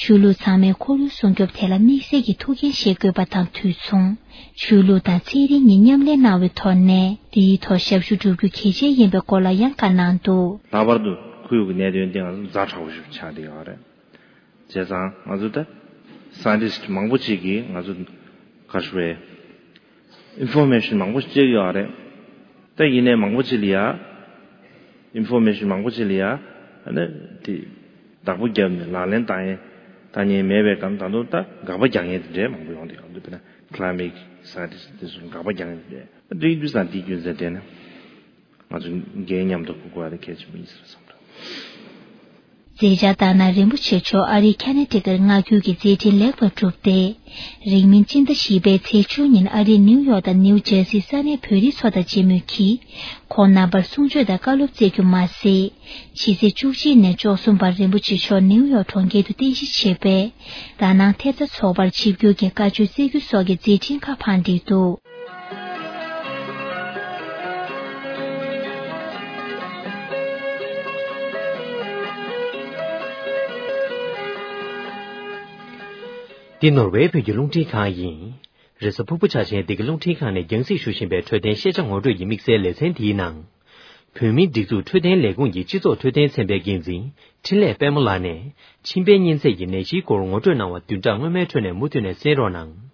ཆོས་ལུགས་ཚང་མས་ཁོར་ཡུག་སྲུང་སྐྱོབ་ཐད་ལ་དམིགས་བསལ་གྱི་ཐུགས་འགན་བཞེས་དགོས་པ་དང་དུས་མཚུངས། ཆོས་ལུགས་དང་ཚན་རིག་གཉིས་མཉམ་ལས་གནང་བའི་ཐོག་ནས་འདིའི་ཐོག་ཞབས་ཞུ་བསྒྲུབ་རྒྱུ་གལ་ཆེ་ཡིན་པའི་སྐོར་ལ་ཡང་བཀའ་གནང་འདུག། ལྷག་པར་དུ་ཁོར་ཡུག་གི་གནད་དོན་དེ་ང་ཚོ་ཛ་དྲག་པོ་ཞིག་ཆགས་བསྡད་ཡོད་རེད། བྱས་ཙང་ང་ཚོ་ད་Scientist མང་པོ་ཅིག་གིས་ང་ཚོ་ག་རེ་ཞུ་དགོས་རེད། Information མང་པོ་ཞིག་སྤྲད་ཡོད་རེད། ད་ཡིན་ནའི་མང་པོ་ཅིག་ལ་ཡ། Information མང་པོ་ཅིག་ལ་ཡ། ཨ་ནི་དེ་བདག་པོ་བརྒྱབ་ནས་ལག་ལེན་བསྟར་ཡས་བསྟར་མཁན་མེད་པའི་སྒང་ད་དུང་ད་དགག་པ་རྒྱག་མཁན་དེ་འདྲའི་མང་པོ་ཡོང་བསྡད་ཡོད་འདུག། དཔེར་ན་Climate Scientist དེ་ཚོ་དགག་པ་རྒྱག་མཁན་དེ་འདྲ། འདི་ཡིན་དུས་ཙང་དེའི་རྒྱུ་མཚན་དེ་ནི་ང་ཚོ་འགན་མཉམ་དུ་འཁུར་དགོས་པ་དེ་གལ་ཆེན་པོ་ཡིན་ཟེར་བསམ་འདུག། མཛད་འཆར་ལྟར་ན་རིན་པོ་ཆེ་མཆོག་ཨ་རིའི་ཁ་ན་ཊི་ཀར་མངའ་ཁུལ་གྱི་མཛད་འཕྲིན་ལེགས་པར་གྲུབ་སྟེ། རིང་མིན་སྤྱི་ཟླ་བཞི་པའི་ཚེས་བཅུ་ཉིན་ཨ་རིའི་ནིའུ་ཡོག་དང་ནིའུ་ཇར་སིའི་ས་གནས་བོད་རིགས་ཚོ་དང་མཇལ་མོལ་གྱིས། ཁོང་རྣམ་པར་གསུང་ཆོས་དང་བཀའ་སློབ་སྩལ་རྒྱུ་མ་ཟད། ཕྱི་ཚེས་བཅུ་གཅིག་ནས་བཅུ་གསུམ་བར་རིན་པོ་ཆེ་མཆོག་ནིའུ་ཡོག་གྲོང་ཁྱེར་དུ་རྟེན་གཞི་བྱས་པས། དྷ་ནང་ཐེབས་རྩ་ཚོགས་པར་ཆིབས་བསྒྱུར་གྱིས་བཀའ་ཆོས་སྩལ་རྒྱུ་སོགས་ཀྱི་མཛད་འཕྲིན་ཁག་ཕངས་བསྒྲིགས་འདུག། འདི་ནོར་ཝེ་བོད་ཀྱི་རླུང་འཕྲིན་ཁང་ཡིན། རེས་གཟའ་ཕུར་བུ་འཆར་ཅན་འདི་གའི་རླུང་འཕྲིན་ཁང་ནས་རྒྱང་སྲིང་ཞུ་བཞིན་པའི་འཕྲོད་བསྟེན་ཤེས་བྱ་ངོ་སྤྲོད་ཀྱི་དམིགས་བསལ་ལེ་ཚན་འདིའི་ནང་། བོད་མིའི་སྒྲིག་འཛུགས་འཕྲོད་བསྟེན་ལས་ཁུངས་ཀྱི་སྤྱི་ཚོགས་འཕྲོད་བསྟེན་ཚན་པའི་འགན་འཛིན་འཕྲིན་ལས་དཔལ་མོ་ལགས་ནས་མཆིན་པའི་གཉན་ཚད་ཀྱི་ནད་གཞིའི་སྐོར་ངོ་སྤྲོད་གནང་བ་བདུན་ཕྲག་སྔོན་མའི་ཁྲོད་ནས་མུ་མཐུད་ནས་གསན་རོགས་གནང་།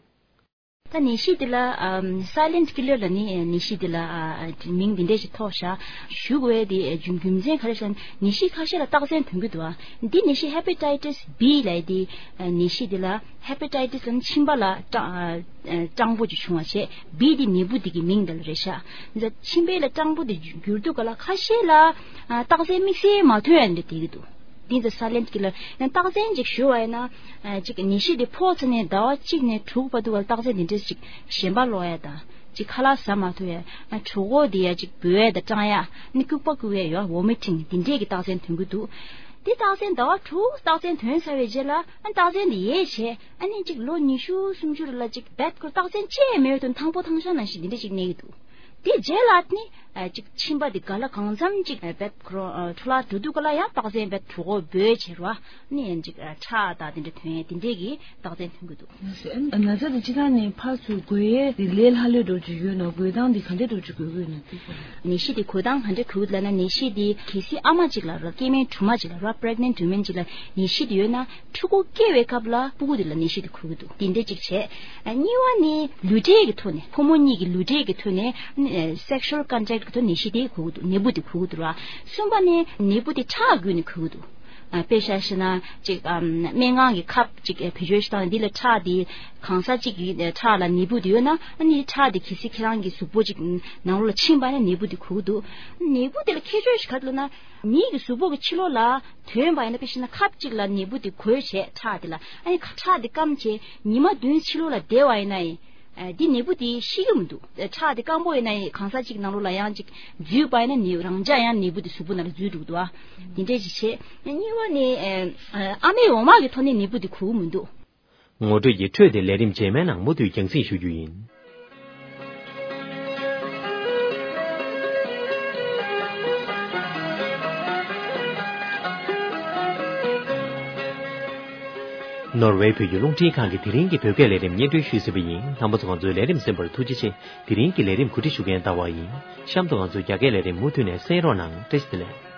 ད་ནད་གཞི་འདི་ལ་ཨམ་Silent Killer ལབ་ནི་ནད་གཞི་འདི་ལ་ཨ་མིང་འདི་འདྲ་ཞིག་ཐོགས་ཤག། ཞུ་དགོས་དེ་རྒྱུ་རྒྱུ་མཚན་ག་རེ་ཟེར་ན་ནད་གཞི་ཁ་ཤས་ལ་རྟགས་མཚན་ཐོན་གྱི་འདུག་ཨ། འདི་ནད་གཞི་Hepatitis B ལབ་དེ་ནད་གཞི་འདི་ལ་Hepatitis ལབ་ན་མཆིན་པ་ལ་སྐྲངས་སྐྲངས་པོ་ཅིག་བྱུང་བ་བྱས་B དེ་ནད་འབུ་འདི་གི་མིང་འདི་ལ་རེད་ཤག། འདི་མཆིན་པའི་ལ་སྐྲངས་པོ་དེ་འགྱུར་དུས་ག་ལ་ཁ་ཤས་ལ་ཨ་རྟགས་མཚན་དམིགས་བསལ་མ་ཐོན་ཡ་འདི་དེ་གི་འདུག། འདི་ཚོ་Silent Killer ཡང་རྟགས་མཚན་ཅིག་ཞུ་བ་ཡིན་ན། ཨ་ཅིག་ནད་གཞི་དེ་ཕོག་ཚར་ནས་ཟླ་བ་གཅིག་ནས་དྲུག་བར་དུ་བ་རྟགས་མཚན་དེ་འདྲས་ཅིག་ཞེན་པ་ལོག་ཡ་དང་ཅིག་ཁ་ལག་ཟ་མ་ཐུབ་ཡ། ཨ་གྲོད་ཁོག་དེ་ཡ་ཅིག་འབོལ་ཡ་དང་སྐྲངས་ཡ། ནི་སྐྱུག་པ་སྐྱུག་ཡ་ཡོད། Vomiting དེ་འདྲས་ཀྱི་རྟགས་མཚན་ཐོན་གྱི་འདུག། དེ་རྟགས་མཚན་ཟླ་བ་དྲུག་རྟགས་མཚན་ཐོན་ཚར་བའི་རྗེས་ལ་ཨ་རྟགས་མཚན་དེ་ཡལ་བྱས་ཨ་ནི་ཅིག་ལོ་ཉི་ཤུ་སུམ་ཅུ་རེ་ལ་ཅིག་རྦད་ཁོ་རྟགས་མཚན་ཅི་ཡང་མེད་དུས་ཐང་པོ་ཐང་ཤང་ནང་བཞིན་དེ་འདྲས་ཅིག་གནས་ཀྱི་འདུག། དེ་རྗེས་ལ་ནི་ཨ་ཅིག་མཆིན་པ་དེ་ག་ལ་གང་འཚམ་ཅིག་ཨ་བད་ཁོ་རང་ཨ་འཕྲོ་བརླག་འགྲོ་དུས་ག་ལ་ཡང་རྟགས་མཚན་བད་གྲོད་ཁོག་འབོལ་བྱེད་རོ། ནི་ཡང་ཅིག་ཨ་ཁྲག་དང་དེ་འདྲ་ཐོན་ཡས་དེ་འདྲས་ཀྱི་རྟགས་མཚན་ཐོན་གྱི་འདུག། ན་ཚ་དེ་སྤྱི་བཏང་ནས་ཕར་ཚུར་འགོས་ཡས་དེ་ལས་སླ་ལོས་འགྲོ་རྒྱུ་ཡོད་ན་འགོས་སྟངས་དེ་ག་འདྲས་འགྲོ་རྒྱུ་འགོས་ཀྱི་ཡོད་ན་དེ་ག་ནད་གཞི་དེ་འགོས་སྟངས་ག་འདྲས་འགོས་ལབ་ན་ནད་གཞི་དེ་གལ་སྲིད་ཨ་མ་ཅིག་ལ་ར་སྐྱེས་དམན་གྲོགས་མོ་ཅིག་ལ་ར་Pregnant Women ཅིག་ལ་ནད་གཞི་དེ་ཡོད་ན་ཕྲུ་གུ་སྐྱེ་བའི་སྐབས་ལ་ཕྲུ་གུ་དེ་ལ་ནད་གཞི་དེ་འགོས་ཀྱི་འདུག། དེ་འདྲས་ཅིག་བྱས། ཨ་གཉིས་པ་ནི་ལུས་འབྲེལ་གྱི་ཐོག་ནས་ཕོ་མོ་གཉིས་ཀྱི་ལུས་འབྲེལ་གྱི་ཐོག་ནས་ཨ་Sexual Contact གི་ཐོག་ནད་གཞི་དེ་འགོས་ཀྱི་འདུག། ནད་འབུ་དེ་འགོས་ཀྱི་འདུག་ར། གསུམ་པ་ནི་ནད་འབུ་དེ་ཁྲག་བརྒྱུད་ནས་འགོས་ཀྱི་འདུག། ཨ་དཔེ་བཞག་ཤེ་ན་ཅིག་ཨམ་སྨན་ཁང་གི་ཁབ་ཅིག་བེད་སྤྱོད་ཞིག་བཏང་ནས་འདི་ལ་ཁྲག་དེ་གང་ཟག་ཅིག་གི་ཁྲག་ལ་ནད་འབུ་དེ་ཡོད་ན་ཨ་ནི་ཁྲག་དེ་གལ་སྲིད་ཁྱེད་རང་གི་གཟུགས་པོ་ཅིག་ནང་ལོགས་ལ་ཕྱིན་པ་ན་ནད་འབུ་དེ་འགོས་ཀྱི་འདུག། ནད་འབུ་དེ་ལ་ཁྱད་ཆོས་ཞིག་ག་རེ་ལབ་ན། མིའི་གི་གཟུགས་པོ་གི་ཕྱི་ལོགས་ལ་ཐོན་པ་ཡིན་ན་དཔེ་བཞག་ན་ཁབ་ཅིག་ལ་ནད་འབུ་དེ་འགོས་བྱས་ཁྲག་དེ་ལ་ཨ་ནི་ཁྲག་དེ་སྐམ་བྱས་ཉི་མ་བདུན་ཕྱི་ལོགས་ལ་བསྡད་པ་ཡིན་ན་ཡིན། ཨ་འདི་ནད་འབུ་དེ་ཤི་གི་མི་འདུག། ཁྲག་དེ་སྐམ་པོ་ཡིན་ན་ཡིན་གང་ཟག་ཅིག་ནང་ལོགས་ལ་ཡང་ཅིག་འཛུལ་པ་ཡིན་ན་ནད་རང་འཇགས་ཡང་ནད་འབུ་དེ་གཟུགས་པོ་ནང་ལ་འཛུལ་འགྲོ་གི་འདུག་ཨ། འདི་འདྲས་ཅིག་བྱས། གཉིས་པ་ནི་ཨ་ཨ་མའི་འོ་མ་གི་ཐོག་ནས་ནད་འབུ་དེ་འགོས་ཀྱི་མི་འདུག། ངོ་སྤྲོད་ཀྱི་འཕྲོས་དེ་ལས་རིམ་རྗེས་མའི་ནང་མུ་མཐུད་རྒྱང་སྲིང་ཞུ་རྒྱུ་ཡིན། ནོར་ཝེ་བོད་ཀྱི་རླུང་འཕྲིན་ཁང་གིས་དེ་རིང་གི་བོད་སྐད་ལས་རིམ་སྙན་སྒྲོན་ཞུས་ཟིན་པ་ཡིན། རྣམ་པ་ཚོ་ང་ཚོའི་ལས་རིམ་གསན་པར་ཐུགས་རྗེ་ཆེ། དེ་རིང་གི་ལས་རིམ་གོ་སྒྲིག་ཞུ་མཁན་ཟླ་བ་ཡིན། གཤམ་དུ་ང་ཚོའི་རྒྱ་སྐད་ལས་རིམ་མུ་མཐུད་ནས་གསན་རོགས་གནང་། བཀྲ་ཤིས་བདེ་ལེགས།